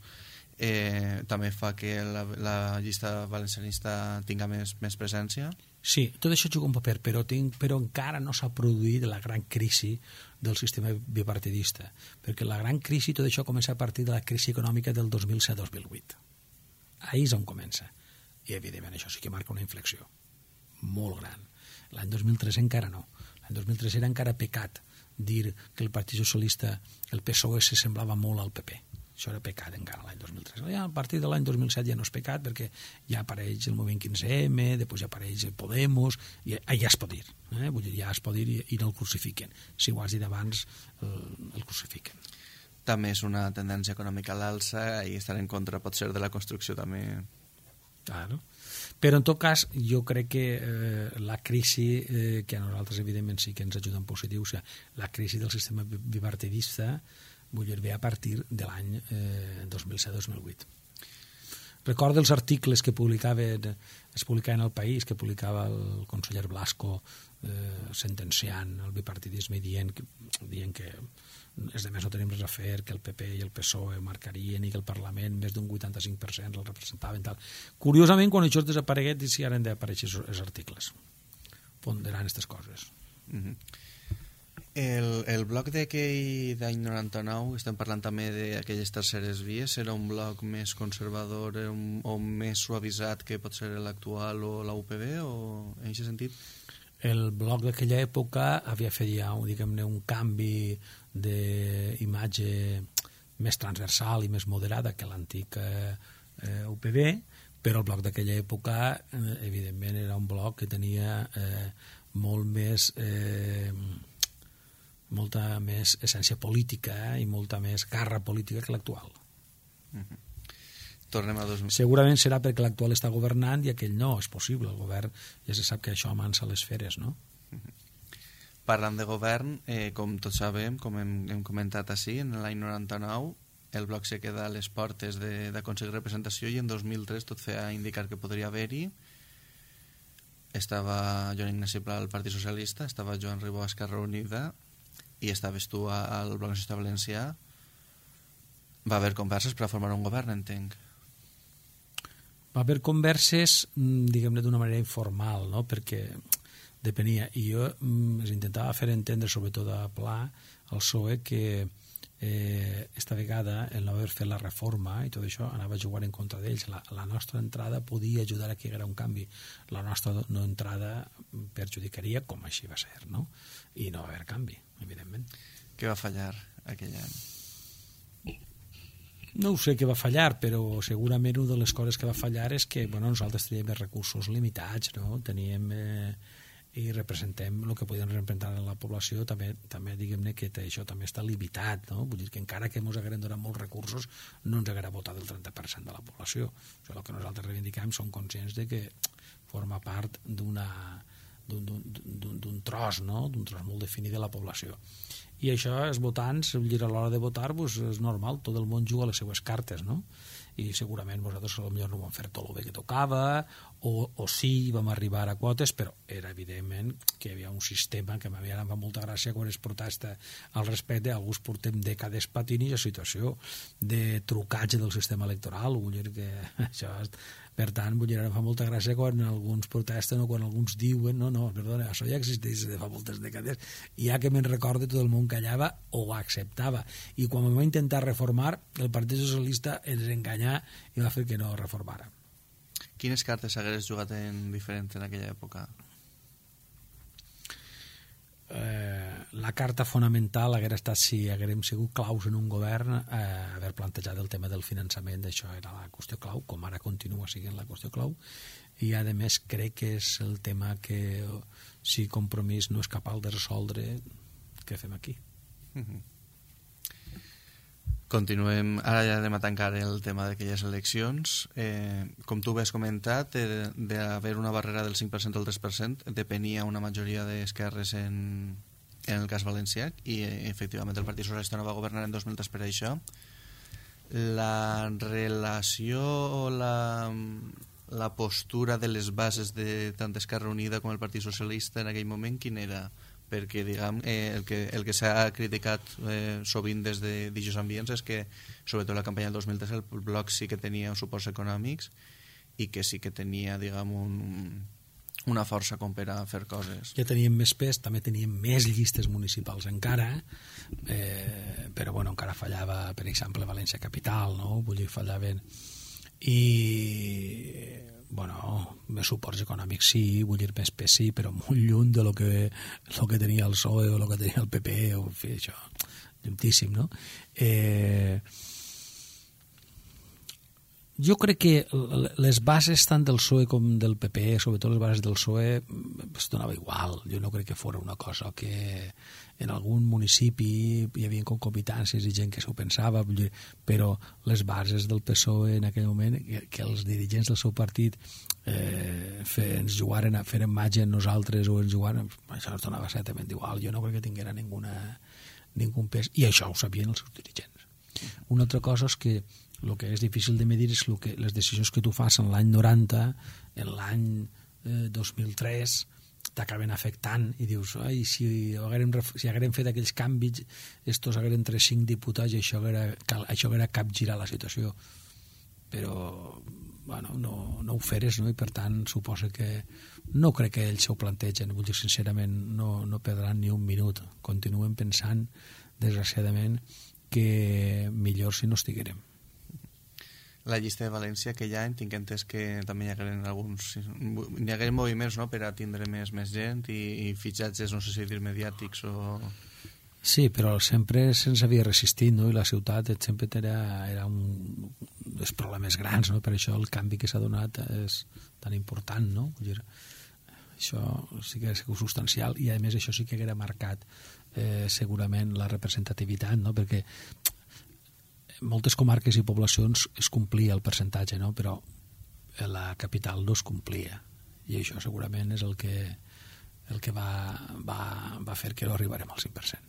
eh, també fa que la, la llista valencianista tinga més, més presència. Sí, tot això juga un paper, però, tinc, però encara no s'ha produït la gran crisi del sistema bipartidista, perquè la gran crisi, tot això comença a partir de la crisi econòmica del dos mil set dos mil vuit. Ahí és on comença. I, evidentment, això sí que marca una inflexió molt gran. L'any dos mil tres encara no. L'any dos mil tres era encara pecat dir que el Partit Socialista, el P S O E, se semblava molt al P P. Això era pecat encara l'any dos mil tres. Ja, a partir de l'any dos mil set ja no és pecat perquè ja apareix el moviment quinze eme, després ja apareix el Podemos, i ja es pot dir. Eh? Vull dir, ja es pot dir i, i no el crucifiquen. Si ho has dit abans, el, el crucifiquen. També és una tendència econòmica a l'alça i estar en contra pot ser de la construcció també. Claro. Però en tot cas jo crec que eh, la crisi eh, que a nosaltres evidentment sí que ens ajuda en positiu, o sigui, la crisi del sistema bipartidista vull dir, ve a partir de l'any eh, dos mil set dos mil vuit. Recordo els articles que publicaven, es publicaven al País, que publicava el conseller Blasco eh, sentenciant el bipartidisme i dient, dient que els demés no tenim res a fer, que el P P i el P S O E marcarien i que el Parlament més d'un vuitanta-cinc per cent el representaven. Tal. Curiosament, quan això desapareguet, sí ara han d'aparèixer els articles ponderant aquestes coses. Mm-hmm. El, el bloc d'aquell d'any noranta-nou, estem parlant també d'aquelles terceres vies, era un bloc més conservador un, o més suavitzat que pot ser l'actual o la U P B, o en aquest sentit? El bloc d'aquella època havia fet ja diguem-ne, un canvi d'imatge més transversal i més moderada que l'antic eh, U P B, però el bloc d'aquella època eh, evidentment era un bloc que tenia eh, molt més... Eh, molta més essència política eh, i molta més garra política que l'actual. Mm-hmm. Tornem a dos mil... Segurament serà perquè l'actual està governant i aquell no, és possible. El govern ja se sap que això amansa les feres, no? Mm-hmm. Parlant de govern, eh, com tots sabem, com hem, hem comentat així, en l'any noranta-nou el bloc se queda a les portes d'aconseguir representació i en dos mil tres tot feia indicar que podria haver-hi. Estava Joan Ignasi Pla al Partit Socialista, estava Joan Ribó a Esquerra Unida i estaves tu al Bloc Nacionalista Valencià. Va haver converses per a formar un govern, entenc. Va haver converses, diguem-ne, d'una manera informal, no? Perquè depenia. I jo es intentava fer entendre, sobretot a Pla, al P S O E, que eh, esta vegada el no haver fet la reforma i tot això anava a jugar en contra d'ells. La, la nostra entrada podia ajudar a que hi hagués un canvi. La nostra no entrada perjudicaria, com així va ser, no? I no va haver canvi, evidentment. Què va fallar aquell any? No ho sé què va fallar, però segurament una de les coses que va fallar és que bueno, nosaltres teníem recursos limitats, no? Teníem... Eh, i representem el que podien representar en la població, també, també diguem-ne que això també està limitat, no? Vull dir que encara que ens haguem donat molts recursos no ens haguera votat el trenta per cent de la població. Això, el que nosaltres reivindiquem, som conscients de que forma part d'una d'un tros, no? D'un tros molt definit de la població. I això, els votants, a l'hora de votar, pues, és normal, tot el món juga les seues cartes, no? I segurament vosaltres potser no vam fer tot el bé que tocava o, o sí vam arribar a quotes, però era evidentment que hi havia un sistema que m'havia anat molta gràcia quan es protesta al respecte. Alguns portem dècades patint i la situació de trucatge del sistema electoral, vull dir que això és... Per tant, vull dir, ara fa molta gràcia quan alguns protesten o quan alguns diuen no, no, perdona, això ja existeix de fa moltes dècades i ja que me'n recorde tot el món callava o ho acceptava. I quan vam intentar reformar, el Partit Socialista ens enganyà i va fer que no reformara. Quines cartes hagués jugat en diferent en aquella època? Eh, la carta fonamental haguera estat si haguérem sigut claus en un govern eh, haver plantejat el tema del finançament, això era la qüestió clau, com ara continua sent la qüestió clau, i a més crec que és el tema que si Compromís no és capaç de resoldre, què fem aquí? Mm-hmm. Continuem, ara ja anem a tancar el tema d'aquelles eleccions. Eh, com tu has comentat, eh, d'haver una barrera del cinc per cent o el tres per cent depenia una majoria d'esquerres en, en el cas valencià i eh, efectivament el Partit Socialista no va governar en dos mil tres per això. La relació o la, la postura de les bases de tant Esquerra Unida com el Partit Socialista en aquell moment, quin era? perquè diguem, eh, el que, el que s'ha criticat eh, sovint des de d'aquests ambients és que, sobretot la campanya del dos mil tres, el bloc sí que tenia suports econòmics i que sí que tenia, diguem, un, una força com per a fer coses. Ja teníem més pes, també teníem més llistes municipals encara, eh, però bueno, encara fallava, per exemple, València Capital, no? Vull dir, fallaven... I... bueno, més suports econòmics sí, vull dir, més pes sí, però molt lluny de lo que, lo que tenia el P S O E o lo que tenia el P P, o en fi, això, llunyíssim, no? Eh... Jo crec que les bases tant del P S O E com del P P, sobretot les bases del P S O E, es donava igual. Jo no crec que fos una cosa que en algun municipi hi havia concomitàncies i gent que s'ho pensava, però les bases del P S O E en aquell moment, que, que els dirigents del seu partit eh, fe, ens jugaren a fer imatge en nosaltres o ens jugaren, això els donava certament igual. Jo no crec que tinguera ninguna, ningun pes, i això ho sabien els seus dirigents. Una altra cosa és que el que és difícil de medir és lo que, les decisions que tu fas en l'any noranta, en l'any eh, dos mil tres, t'acaben afectant i dius, ai, si haguérem, si haguérem fet aquells canvis, estos hagueren tres cinc diputats i això haguera, això haguera capgirar la situació. Però, bueno, no, no ho feres, no? I per tant, suposa que no crec que ells s'ho plantegen, vull dir, sincerament, no, no perdran ni un minut. Continuen pensant, desgraciadament, que millor si no estiguérem. La llista de València aquell any tinc entès que també hi hagueren alguns hi hagueren moviments, no?, per a tindre més, més gent i, i fitxatges, no sé si dir mediàtics o... Sí, però sempre se'ns havia resistit, no?, i la ciutat sempre era, era un dels problemes grans, no?, per això el canvi que s'ha donat és tan important, no? Vull dir, això sí que és substancial i a més això sí que haguera marcat eh, segurament la representativitat, no?, perquè moltes comarques i poblacions es complia el percentatge, no? Però la capital no es complia i això segurament és el que, el que va, va, va fer que no arribarem al cinc per cent.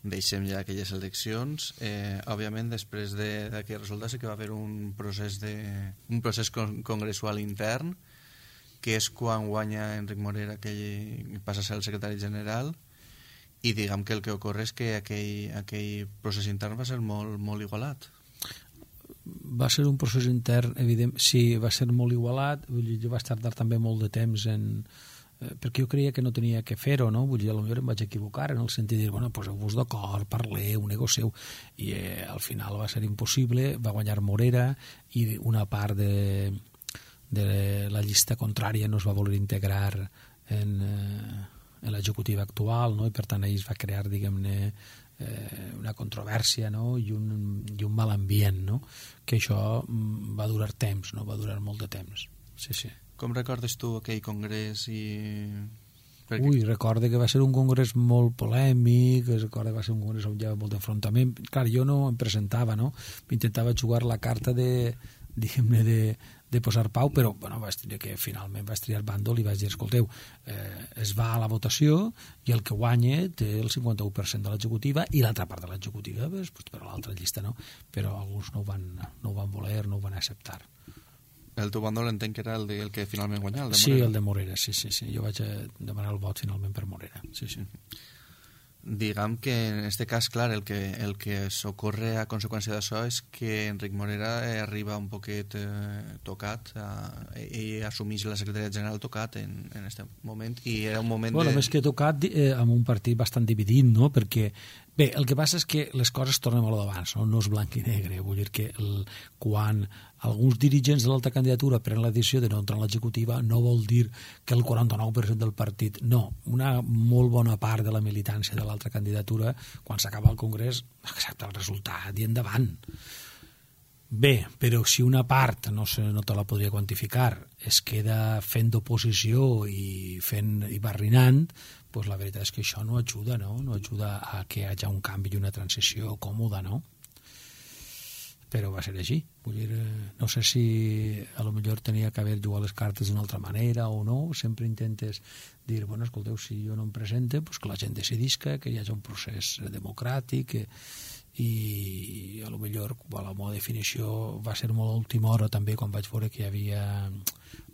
Deixem ja aquelles eleccions. Eh, òbviament, després d'aquell resultat sí que va haver un procés, de, un procés con, congressual intern, que és quan guanya Enric Morera, que passa a ser el secretari general, i diguem que el que ocorre és que aquell, aquell procés intern va ser molt, molt igualat. Va ser un procés intern, evident, sí, va ser molt igualat. Vull dir, jo vaig tardar també molt de temps en... Eh, perquè jo creia que no tenia que fer-ho, no? Vull dir, potser em vaig equivocar en el sentit de dir, bueno, poseu-vos d'acord, parleu, negocieu, i eh, al final va ser impossible, va guanyar Morera i una part de, de la llista contrària no es va voler integrar en... Eh, en l'executiva actual, no? I per tant ahir es va crear, diguem-ne, eh, una controvèrsia, no? I, un, i un mal ambient, no? Que això va durar temps, no? Va durar molt de temps. Sí, sí. Com recordes tu aquell congrés i... Perquè... Ui, recorde que va ser un congrés molt polèmic, recorde que va ser un congrés on hi havia molt d'enfrontament. Clar, jo no em presentava, no? Intentava jugar la carta de, diguem-ne, de, de posar pau, però bueno, vaig dir que finalment vaig triar bàndol i vaig dir, escolteu, eh, es va a la votació i el que guanya té el cinquanta-u per cent de l'executiva i l'altra part de l'executiva pues, pues, per a l'altra llista, no? Però alguns no ho van, no ho van voler, no ho van acceptar. El teu bàndol entenc que era el, de, el que finalment guanyà, el de Morera? Sí, el de Morera, sí, sí, sí. Jo vaig demanar el vot finalment per Morera, sí, sí. Diguem que en aquest cas, clar, el que, el que s'ocorre a conseqüència d'això és que Enric Morera eh, arriba un poquet eh, tocat eh, i assumeix la secretaria general tocat en aquest moment i era un moment bueno, de... més que tocat eh, amb un partit bastant dividit, no? Perquè bé, el que passa és que les coses tornen a lo d'abans, no? No és blanc i negre, vull dir que el, quan alguns dirigents de l'altra candidatura prenen la decisió de no entrar en l'executiva no vol dir que el quaranta-nou per cent del partit, no, una molt bona part de la militància de l'altra candidatura quan s'acaba el Congrés accepta el resultat i endavant. Bé, però si una part no, se, no te la podria quantificar es queda fent d'oposició i fent i barrinant, doncs la veritat és que això no ajuda, no? No ajuda a que hi hagi un canvi i una transició còmoda, no? Però va ser així. Vull dir, no sé si a lo millor tenia que haver jugat les cartes d'una altra manera o no. Sempre intentes dir, bueno, escolteu, si jo no em presente, pues que la gent decidisca, que hi hagi un procés democràtic i a lo millor a la meva definició va ser molt a última hora també quan vaig veure que hi havia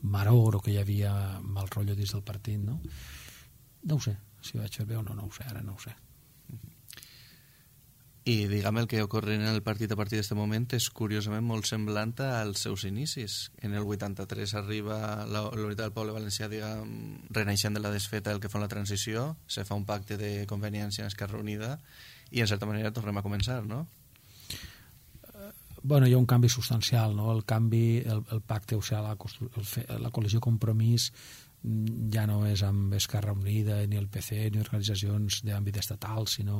maror o que hi havia mal rotllo dins del partit, no? No ho sé, si vaig fer bé o no, no ho sé, ara no ho sé. I diguem, el que ocorre en el partit a partir d'aquest moment és curiosament molt semblant als seus inicis. En el vuitanta-tres arriba la, la Unitat del Poble Valencià, diguem, renaixent de la desfeta del que fa la transició, se fa un pacte de conveniència en Esquerra Unida i en certa manera tornem a començar, no? Bueno, hi ha un canvi substancial, no? El canvi, el, el pacte, o sigui, la, el, la coalició Compromís ja no és amb Esquerra Unida, ni el P C, ni organitzacions d'àmbit estatal, sinó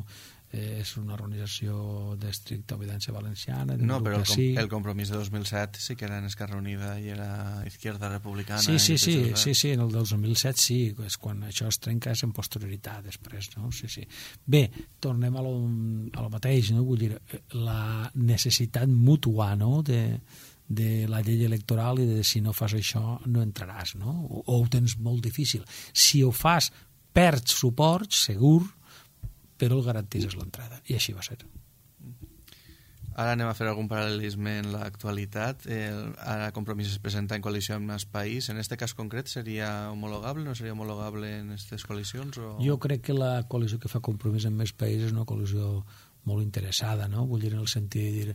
eh, és una organització d'estricta obediència valenciana. No, però el, com, el Compromís de dos mil set sí que era en Esquerra Unida i era Izquierda Republicana. Sí, sí, sí, sí, sí, en el dos mil set sí, és quan això es trenca és en posterioritat després, no? Sí, sí. Bé, tornem a lo, a lo mateix, no? Vull dir, la necessitat mútua, no?, de de la llei electoral i de si no fas això no entraràs, no? O, o ho tens molt difícil. Si ho fas, perds suport, segur, però el garantís l'entrada. I així va ser. Ara anem a fer algun paral·lelisme en l'actualitat. El, ara Compromís es presenta en coalició amb més país. En aquest cas concret seria homologable? No seria homologable en aquestes coalicions? O... Jo crec que la coalició que fa Compromís en més país és una coalició molt interessada, no? Vull dir, en el sentit de dir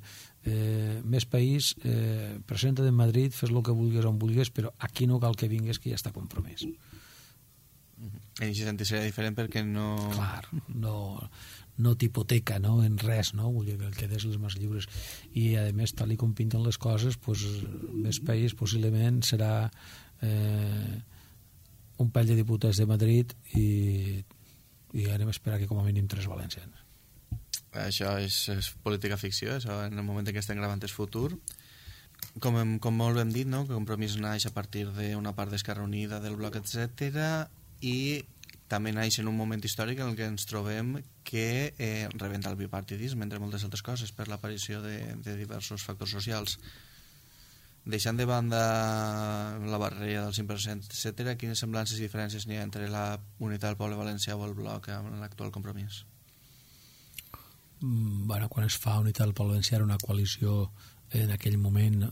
eh, més país, eh, presenta't en Madrid, fes el que vulguis on vulguis, però aquí no cal que vinguis, que ja està compromès. En aquest sentit seria diferent perquè no... Clar, no, no t'hipoteca, no?, en res, no? Vull dir que el que des les mans lliures. I, a més, tal com pinten les coses, pues, més país possiblement serà eh, un parell de diputats de Madrid i, i anem a esperar que com a mínim tres valencians. Això és, és política ficció, això en el moment en què estem gravant és futur. Com, hem, com molt hem dit, no?, que Compromís naix a partir d'una part d'Esquerra Unida, del bloc, etcètera, i també naix en un moment històric en el que ens trobem que eh, rebenta el bipartidisme, entre moltes altres coses, per l'aparició de, de diversos factors socials. Deixant de banda la barrera del cinc per cent, etcètera, quines semblances i diferències n'hi ha entre la Unitat del Poble Valencià o el bloc amb l'actual Compromís? Bueno, quan es fa Unitat del Poble Valencià era una coalició en aquell moment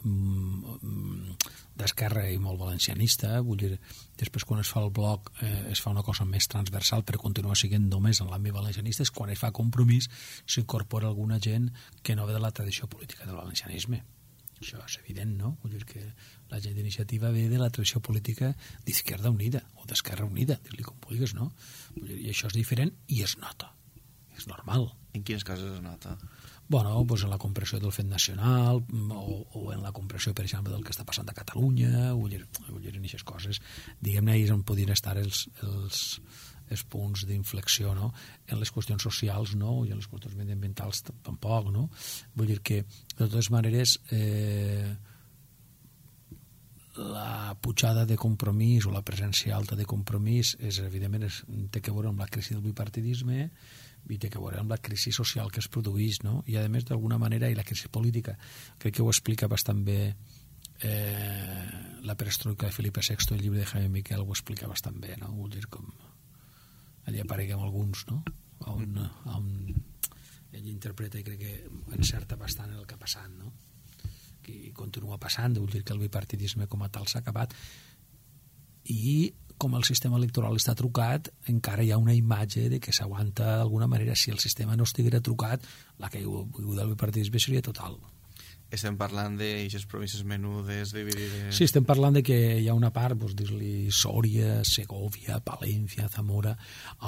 d'esquerra i molt valencianista, vull dir, després quan es fa el bloc eh, es fa una cosa més transversal però continua sent només en l'àmbit valencianista, és quan es fa Compromís s'incorpora alguna gent que no ve de la tradició política del valencianisme. Això és evident, no? Vull dir que la gent d'iniciativa ve de la tradició política d'Izquierda Unida o d'Esquerra Unida, dir-li com vulguis, no? Vull dir, i això és diferent i es nota. És normal. En quines coses es nota? Bueno, pues en la compressió del fet nacional o, o en la compressió, per exemple, del que està passant a Catalunya, vull dir, vull dir en aquestes coses. Diguem-ne, ahir on podien estar els, els, els punts d'inflexió, no? En les qüestions socials, no? I en les qüestions mediambientals tampoc, no? Vull dir que, de totes maneres, eh, la pujada de Compromís o la presència alta de Compromís és, evidentment, és, té que veure amb la crisi del bipartidisme i té que veure amb la crisi social que es produeix, no? I a més, d'alguna manera, i la crisi política, crec que ho explica bastant bé eh, la perestroika de Felipe sexto, el llibre de Jaime Miquel ho explica bastant bé, no? Vull dir, com allà apareguem alguns, no? On, on ell interpreta i crec que encerta bastant el que ha passat, no? I continua passant, vull dir que el bipartidisme com a tal s'ha acabat i com el sistema electoral està trucat encara hi ha una imatge de que s'aguanta d'alguna manera. Si el sistema no estiguera trucat, la caiguda del bipartidisme seria total. Estem parlant d'aixes províncies menudes, dividides... Sí, estem parlant de que hi ha una part, doncs, dir-li Sòria, Segovia, Palència, Zamora,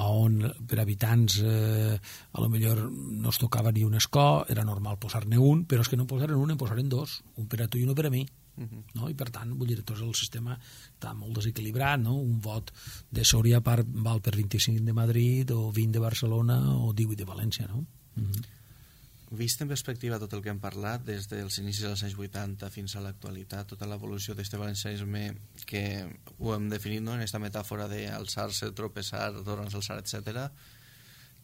on per habitants eh, a lo millor no es tocava ni un escó, era normal posar-ne un, però és que no posaren un, en posaren dos, un per a tu i un per a mi. Uh-huh. No? I per tant, vull dir, tot el sistema està molt desequilibrat, no? Un vot de Sòria val per vint-i-cinc de Madrid o vint de Barcelona o divuit de València, no? Uh-huh. Vist en perspectiva tot el que hem parlat, des dels inicis dels anys vuitanta fins a l'actualitat, tota l'evolució d'aquest valencianisme que ho hem definit, no?, en aquesta metàfora d'alçar-se, tropeçar, tornar-se a alçar, etcètera,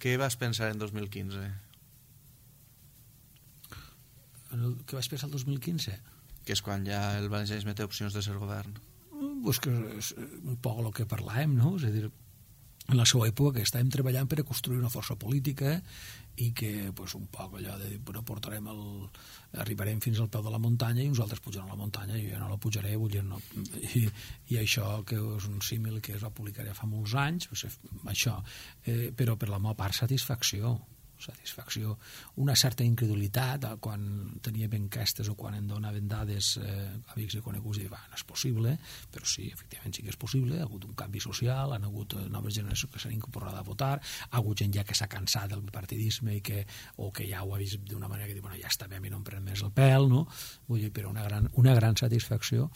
què vas pensar en dos mil quinze? Què vaig pensar el dos mil quinze? Que és quan ja el valencianisme té opcions de ser govern. Pues que és un poc el que parlàvem, no? És a dir, en la seva època, que estàvem treballant per a construir una força política i que pues, un poc allò de dir, bueno, portarem el, arribarem fins al peu de la muntanya i uns altres pujaran a la muntanya i jo no la pujaré, vull dir, no. I, i això que és un símil que es va publicar ja fa molts anys, pues, això, eh, però per la meva part satisfacció, satisfacció, una certa incredulitat quan teníem enquestes o quan em donaven dades eh, amics i coneguts i va, no és possible, però sí, efectivament sí que és possible, ha hagut un canvi social, han hagut noves generacions que s'han incorporat a votar, ha hagut gent ja que s'ha cansat del partidisme i que, o que ja ho ha vist d'una manera que diu, bueno, ja està bé, a mi no em pren més el pèl, no? Vull dir, però una gran, una gran satisfacció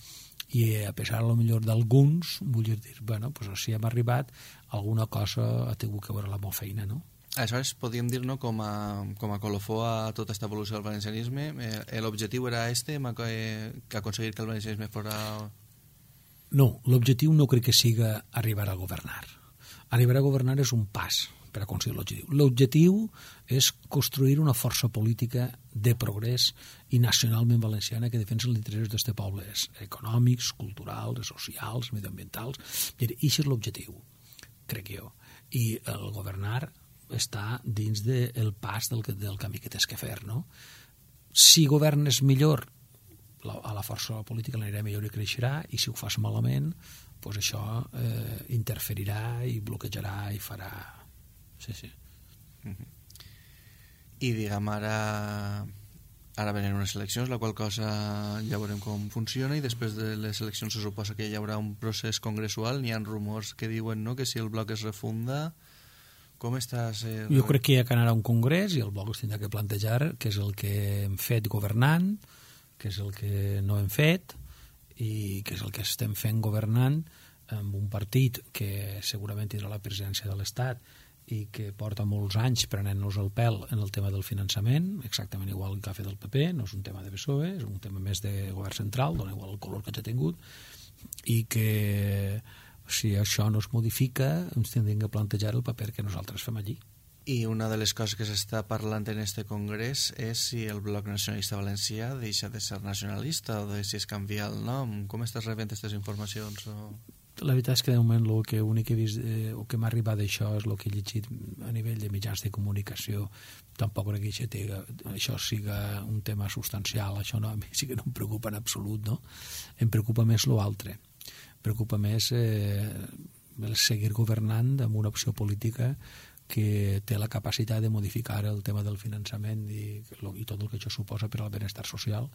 i a pesar a lo millor d'alguns, vull dir, bueno, pues, si hem arribat, alguna cosa ha tingut que veure la meva feina, no? Aleshores, podríem dir, no, com a, com a colofó a tota aquesta evolució del valencianisme, eh, l'objectiu era este, que, que aconseguir que el valencianisme fora... No, l'objectiu no crec que siga arribar a governar. Arribar a governar és un pas per aconseguir l'objectiu. L'objectiu és construir una força política de progrés i nacionalment valenciana que defensa els interessos d'aquest poble, econòmics, culturals, socials, medioambientals. I això és l'objectiu, crec jo. I el governar està dins del pas del, del camí que tens que fer, no? Si governes millor, la, a la força política l'anirà millor i creixerà, i si ho fas malament, pues això eh, interferirà i bloquejarà i farà... Sí, sí. Uh-huh. I diguem, ara ara venen unes eleccions, la qual cosa ja veurem com funciona, i després de les eleccions se suposa que hi haurà un procés congressual. N'hi ha rumors que diuen, no?, que si el bloc es refunda... Com estàs... Eh... Jo crec que hi ha que anar a un congrés i el bloc es tindrà que plantejar què és el que hem fet governant, què és el que no hem fet i què és el que estem fent governant amb un partit que segurament tindrà la presidència de l'Estat i que porta molts anys prenent-nos el pèl en el tema del finançament, exactament igual que ha fet el P P, no és un tema de P S O E, és un tema més de govern central, dona igual el color que ja ha tingut, i que... si això no es modifica, ens tindrem que plantejar el paper que nosaltres fem allí. I una de les coses que s'està parlant en este congrés és si el Bloc Nacionalista Valencià deixa de ser nacionalista o de si es canvia el nom. Com estàs rebent aquestes informacions? O... La veritat és que de moment el que únic que he vist eh, o que m'ha arribat d'això és el que he llegit a nivell de mitjans de comunicació. Tampoc crec que això, tega, això siga un tema substancial. Això no, a mi sí que no em preocupa en absolut, no? Em preocupa més l'altre. Preocupa més eh, seguir governant amb una opció política que té la capacitat de modificar el tema del finançament i, i tot el que això suposa per al benestar social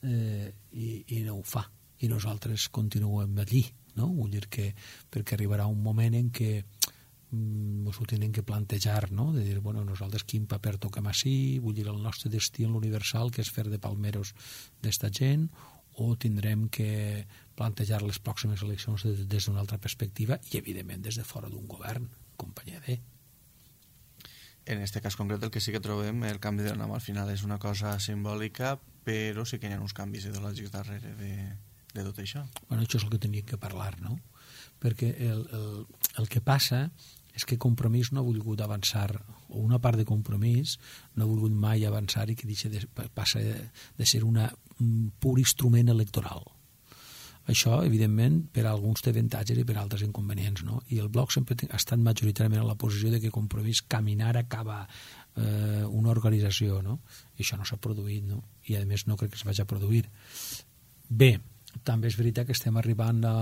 eh, i, i no ho fa. I nosaltres continuem allí, no? Vull dir que perquè arribarà un moment en què mm, ens ho tenen que plantejar, no? De dir, bueno, nosaltres quin paper toquem així, vull dir, el nostre destí en l'universal, que és fer de palmeros d'esta gent, o tindrem que plantejar les pròximes eleccions des, des d'una altra perspectiva i, evidentment, des de fora d'un govern, companyia de... En aquest cas concret el que sí que trobem, el canvi de nom al final és una cosa simbòlica, però sí que hi ha uns canvis ideològics darrere de, de tot això. Bueno, això és el que teníem que parlar, no? Perquè el, el, el que passa és que Compromís no ha volgut avançar, o una part de Compromís no ha volgut mai avançar i que deixa de, passa de ser una, un pur instrument electoral. Això, evidentment, per a alguns té avantatges i per a altres inconvenients, no? I el bloc sempre ha estat majoritàriament en la posició de que Compromís caminar acaba eh, una organització, no? I això no s'ha produït, no? I, a més, no crec que es vagi a produir. Bé, també és veritat que estem arribant a,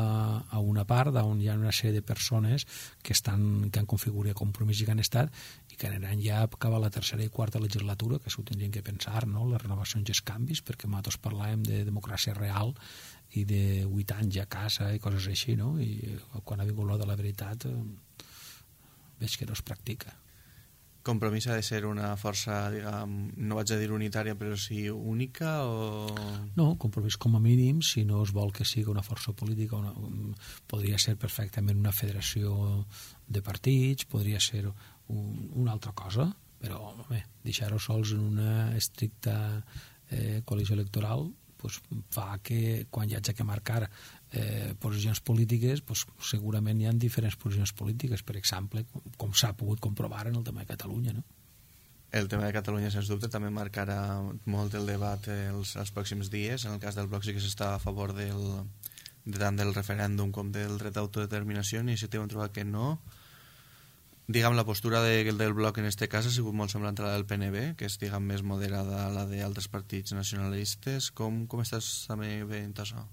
a una part on hi ha una sèrie de persones que, estan, que han configurat Compromís i que han estat i que aniran ja a acabar la tercera i quarta legislatura, que s'ho tindrien que pensar, no? Les renovacions i els canvis, perquè nosaltres parlàvem de democràcia real i de vuit anys a casa i coses així, no? I quan ha vingut l'hora de la veritat eh, veig que no es practica. Compromís ha de ser una força, diguem, no vaig a dir unitària, però sí única o... No, Compromís com a mínim, si no es vol que sigui una força política, una, podria ser perfectament una federació de partits, podria ser un, una altra cosa, però home, deixar-ho sols en una estricta eh, coalició electoral pues, fa que quan hi hagi que marcar eh, posicions polítiques, pues, segurament hi ha diferents posicions polítiques, per exemple, com, com s'ha pogut comprovar en el tema de Catalunya, no? El tema de Catalunya, sens dubte, també marcarà molt el debat els, els pròxims dies. En el cas del bloc sí que s'està a favor del, de tant del referèndum com del dret d'autodeterminació. Iniciativa hem trobat que no. Diguem, la postura de, del bloc en este cas ha sigut molt semblant a la del P N B, que és, diguem, més moderada a la d'altres partits nacionalistes. Com, com estàs també veient això?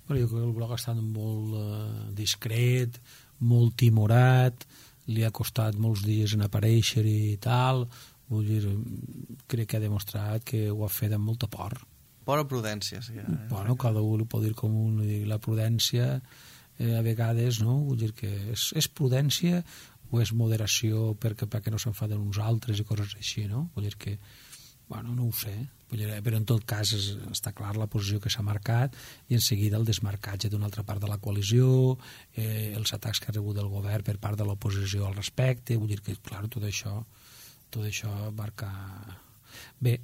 Bueno, jo crec que el bloc ha estat molt eh, discret, molt timorat, li ha costat molts dies en aparèixer i tal. Vull dir, crec que ha demostrat que ho ha fet amb molta por. Por o prudència, sí. Eh? Bueno, cada un ho pot dir com un, la prudència eh, a vegades, no? Vull dir que és, és prudència o és moderació perquè, perquè no s'enfaden uns altres i coses així, no? Vull dir que, bueno, no ho sé, vull dir, però en tot cas és, està clar la posició que s'ha marcat i en seguida el desmarcatge d'una altra part de la coalició, eh, els atacs que ha rebut el govern per part de l'oposició al respecte, vull dir que, clar, tot això, tot això marca... Bé,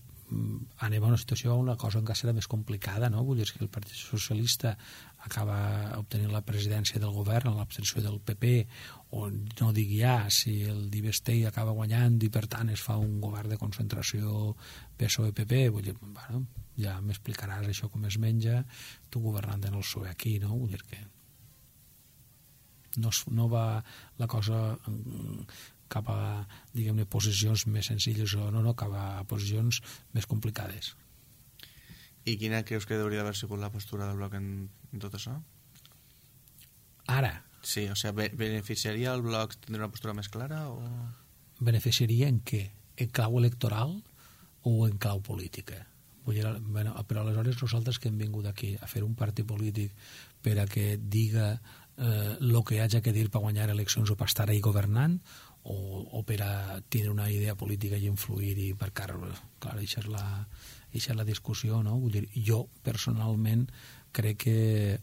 anem a una situació on la cosa encara serà més complicada, no? Vull dir que el Partit Socialista acaba obtenint la presidència del govern en l'abstenció del P P, o no dic ja si el Divestei acaba guanyant i per tant es fa un govern de concentració P S O E P P, vull dir, bueno, ja m'explicaràs això com es menja tu governant en el P S O E aquí, no? Vull dir que no, no va la cosa cap a, diguem-ne, posicions més senzilles o no, no, cap a posicions més complicades. I quina creus que hauria d'haver sigut la postura del bloc en, en tot això? Ara? Sí, o sigui, beneficiaria el bloc tindre una postura més clara o...? Beneficiaria en què? En clau electoral o en clau política? Vull dir, bueno, però aleshores nosaltres que hem vingut aquí a fer un partit polític per a que diga eh, lo que haja que dir per guanyar eleccions o per estar ahí governant, o, o per a tindre una idea política i influir i per car... Clar, això és la, això és la discussió, no? Vull dir, jo personalment crec que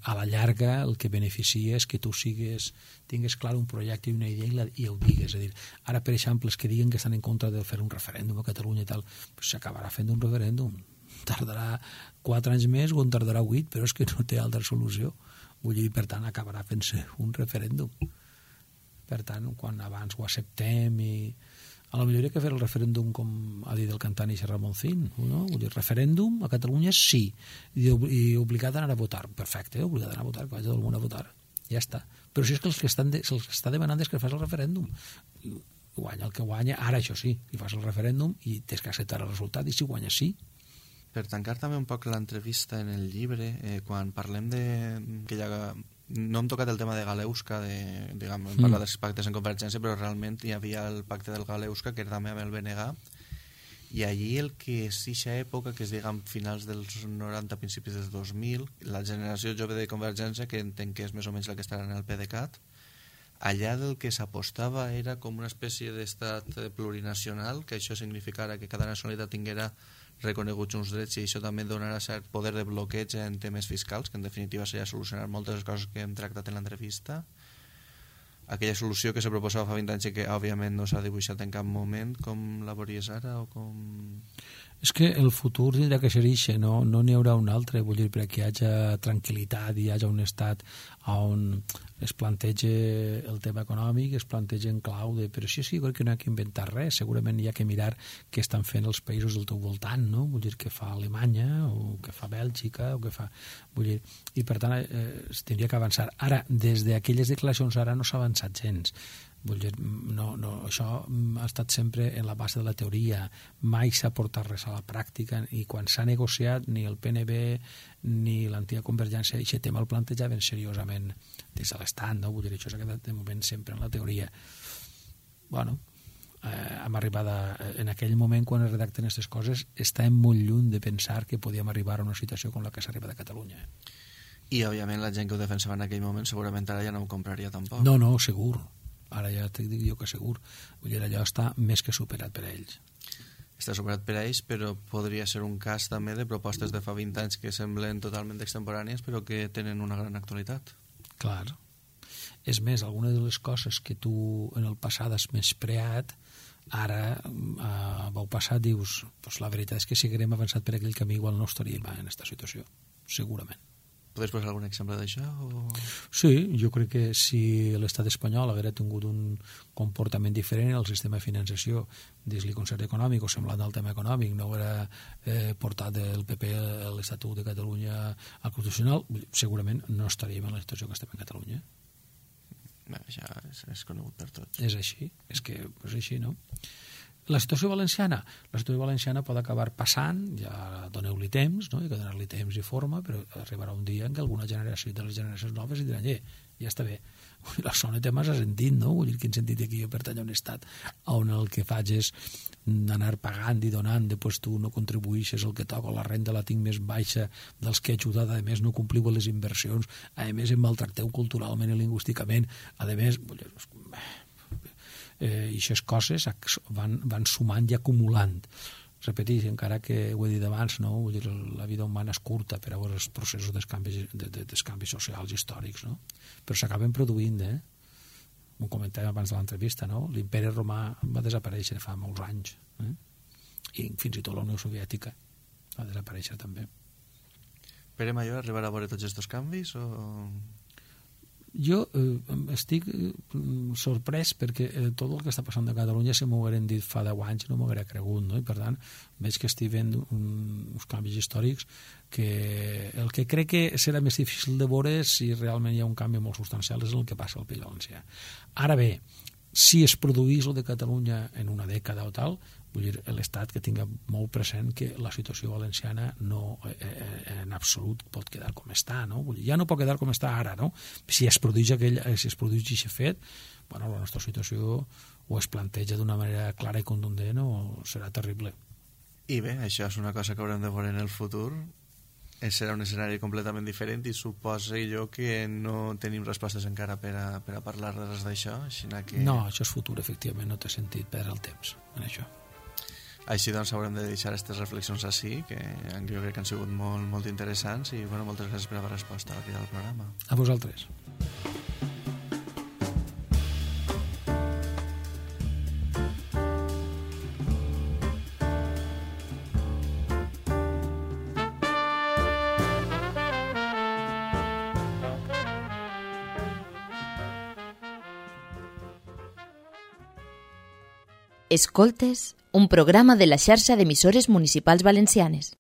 a la llarga el que beneficia és que tu sigues, tingues clar un projecte i una idea i, la, i ho digues. És a dir, ara, per exemple, els que diguen que estan en contra de fer un referèndum a Catalunya i tal, pues s'acabarà fent un referèndum. Tardarà quatre anys més o en tardarà vuit, però és que no té altra solució. Vull dir, per tant, acabarà fent-se un referèndum. Per tant, quan abans ho acceptem i... A lo millor hi ha que fer el referèndum com ha dit el cantant Ixe Ramoncín, no? Vull dir, referèndum a Catalunya sí, i, i obligat a anar a votar. Perfecte, obligat a anar a votar, que vagi tot el món a votar. Ja està. Però si és que els que estan de, els que està demanant és que fas el referèndum. Guanya el que guanya, ara això sí, i fas el referèndum i tens que acceptar el resultat, i si guanya sí. Per tancar també un poc l'entrevista en el llibre, eh, quan parlem de... que hi ha... No hem tocat el tema de Galeusca, de, diguem, hem parlat mm. dels pactes en Convergència, però realment hi havia el pacte del Galeusca, que era també amb el B N G, i allí el que és eixa època, que és, diguem, finals dels noranta, principis dels dos mil, la generació jove de Convergència, que entenc que és més o menys la que estarà en el PDeCAT, allà del que s'apostava era com una espècie d'estat plurinacional, que això significara que cada nacionalitat tinguera reconeguts uns drets i això també donarà cert poder de bloqueig en temes fiscals, que en definitiva seria solucionar moltes de les coses que hem tractat en l'entrevista. Aquella solució que se proposava fa vint anys i que òbviament no s'ha dibuixat en cap moment, com la veuries ara o com... És que el futur tindrà que ser ixe, no no n'hi haurà un altre, vull dir, perquè hi hagi tranquil·litat i hi hagi un estat on es plantegi el tema econòmic, es plantegi en clau de... Però sí, sí, crec que no hi ha que inventar res, segurament hi ha que mirar què estan fent els països del teu voltant, no? Vull dir, què fa Alemanya o què fa Bèlgica o què fa... Vull dir, i per tant eh, es tindria que avançar. Ara, des d'aquelles declaracions ara no s'ha avançat gens. Vull dir, no, no, això ha estat sempre en la base de la teoria, mai s'ha portat res a la pràctica i quan s'ha negociat ni el P N B ni l'antiga Convergència aquest tema el plantejaven seriosament des de l'estat, no? Vull dir, això s'ha quedat de moment sempre en la teoria. Bueno, eh, hem arribat a, en aquell moment quan es redacten aquestes coses estàvem molt lluny de pensar que podíem arribar a una situació com la que s'ha arribat a Catalunya. I òbviament la gent que ho defensava en aquell moment segurament ara ja no ho compraria tampoc. No, no, segur. Ara ja t'ho dic jo que segur. Vull dir, allò està més que superat per a ells. Està superat per a ells, però podria ser un cas també de propostes de fa vint anys que semblen totalment extemporànies però que tenen una gran actualitat. Clar. És més, algunes de les coses que tu en el passat has menyspreat, ara a vau passat dius, pues la veritat és que si haguérem avançat per aquell camí igual no estaríem en aquesta situació, segurament. Podries posar algun exemple d'això? O... Sí, jo crec que si l'estat espanyol haguera tingut un comportament diferent el sistema de finançació dins el concert econòmic o semblant al tema econòmic no haguera eh, portat el P P a l'Estatut de Catalunya al Constitucional, segurament no estaríem en la situació que estem en Catalunya. Bé, això és, és conegut per tots. És així, és que és així, no? La situació valenciana, la situació valenciana pot acabar passant, ja doneu-li temps, no? Hi ha que donar-li temps i forma, però arribarà un dia en què alguna generació de les generacions noves diran, eh, ja està bé, la zona té massa sentit, no? Vull dir, quin sentit aquí jo pertany a un estat on el que faig és anar pagant i donant, després tu no contribueixes el que toca, la renda la tinc més baixa dels que he ajudat, a més no compliu les inversions, a més em maltracteu culturalment i lingüísticament, a més, vull dir, eh, i aquestes coses van, van sumant i acumulant. Repeteix, encara que ho he dit abans, no? Vull dir, la vida humana és curta per a veure els processos dels canvis, de, de, dels canvis socials històrics, no? Però s'acaben produint, eh? Ho comentàvem abans de l'entrevista, no? L'imperi romà va desaparèixer fa molts anys, eh? I fins i tot la Unió Soviètica va desaparèixer també. Pere Mayor arribarà a veure tots aquests canvis o...? Jo eh, estic eh, sorprès perquè eh, tot el que està passant a Catalunya, si m'ho hagueren dit fa deu anys no m'ho hauria cregut, no? I per tant veig que estic veient un, uns canvis històrics que el que crec que serà més difícil de veure si realment hi ha un canvi molt substancial és el que passa al País Valencià. Ara bé, si es produís el de Catalunya en una dècada o tal, vull dir, l'Estat que tinga molt present que la situació valenciana no eh, en absolut pot quedar com està, no? Vull dir, ja no pot quedar com està ara, no? Si es produeix aquell, si es produeix aquest fet, bueno, la nostra situació o es planteja d'una manera clara i contundent o serà terrible. I bé, això és una cosa que haurem de veure en el futur. Serà un escenari completament diferent i suposo jo que no tenim respostes encara per a, per a parlar de res d'això. Que... No, això és futur, efectivament, no té sentit perdre el temps en això. Així doncs haurem de deixar aquestes reflexions així, que jo crec que han sigut molt, molt interessants i bueno, moltes gràcies per la resposta a la crida del programa. A vosaltres. Escoltes, un programa de la xarxa d'emissores municipals valencianes.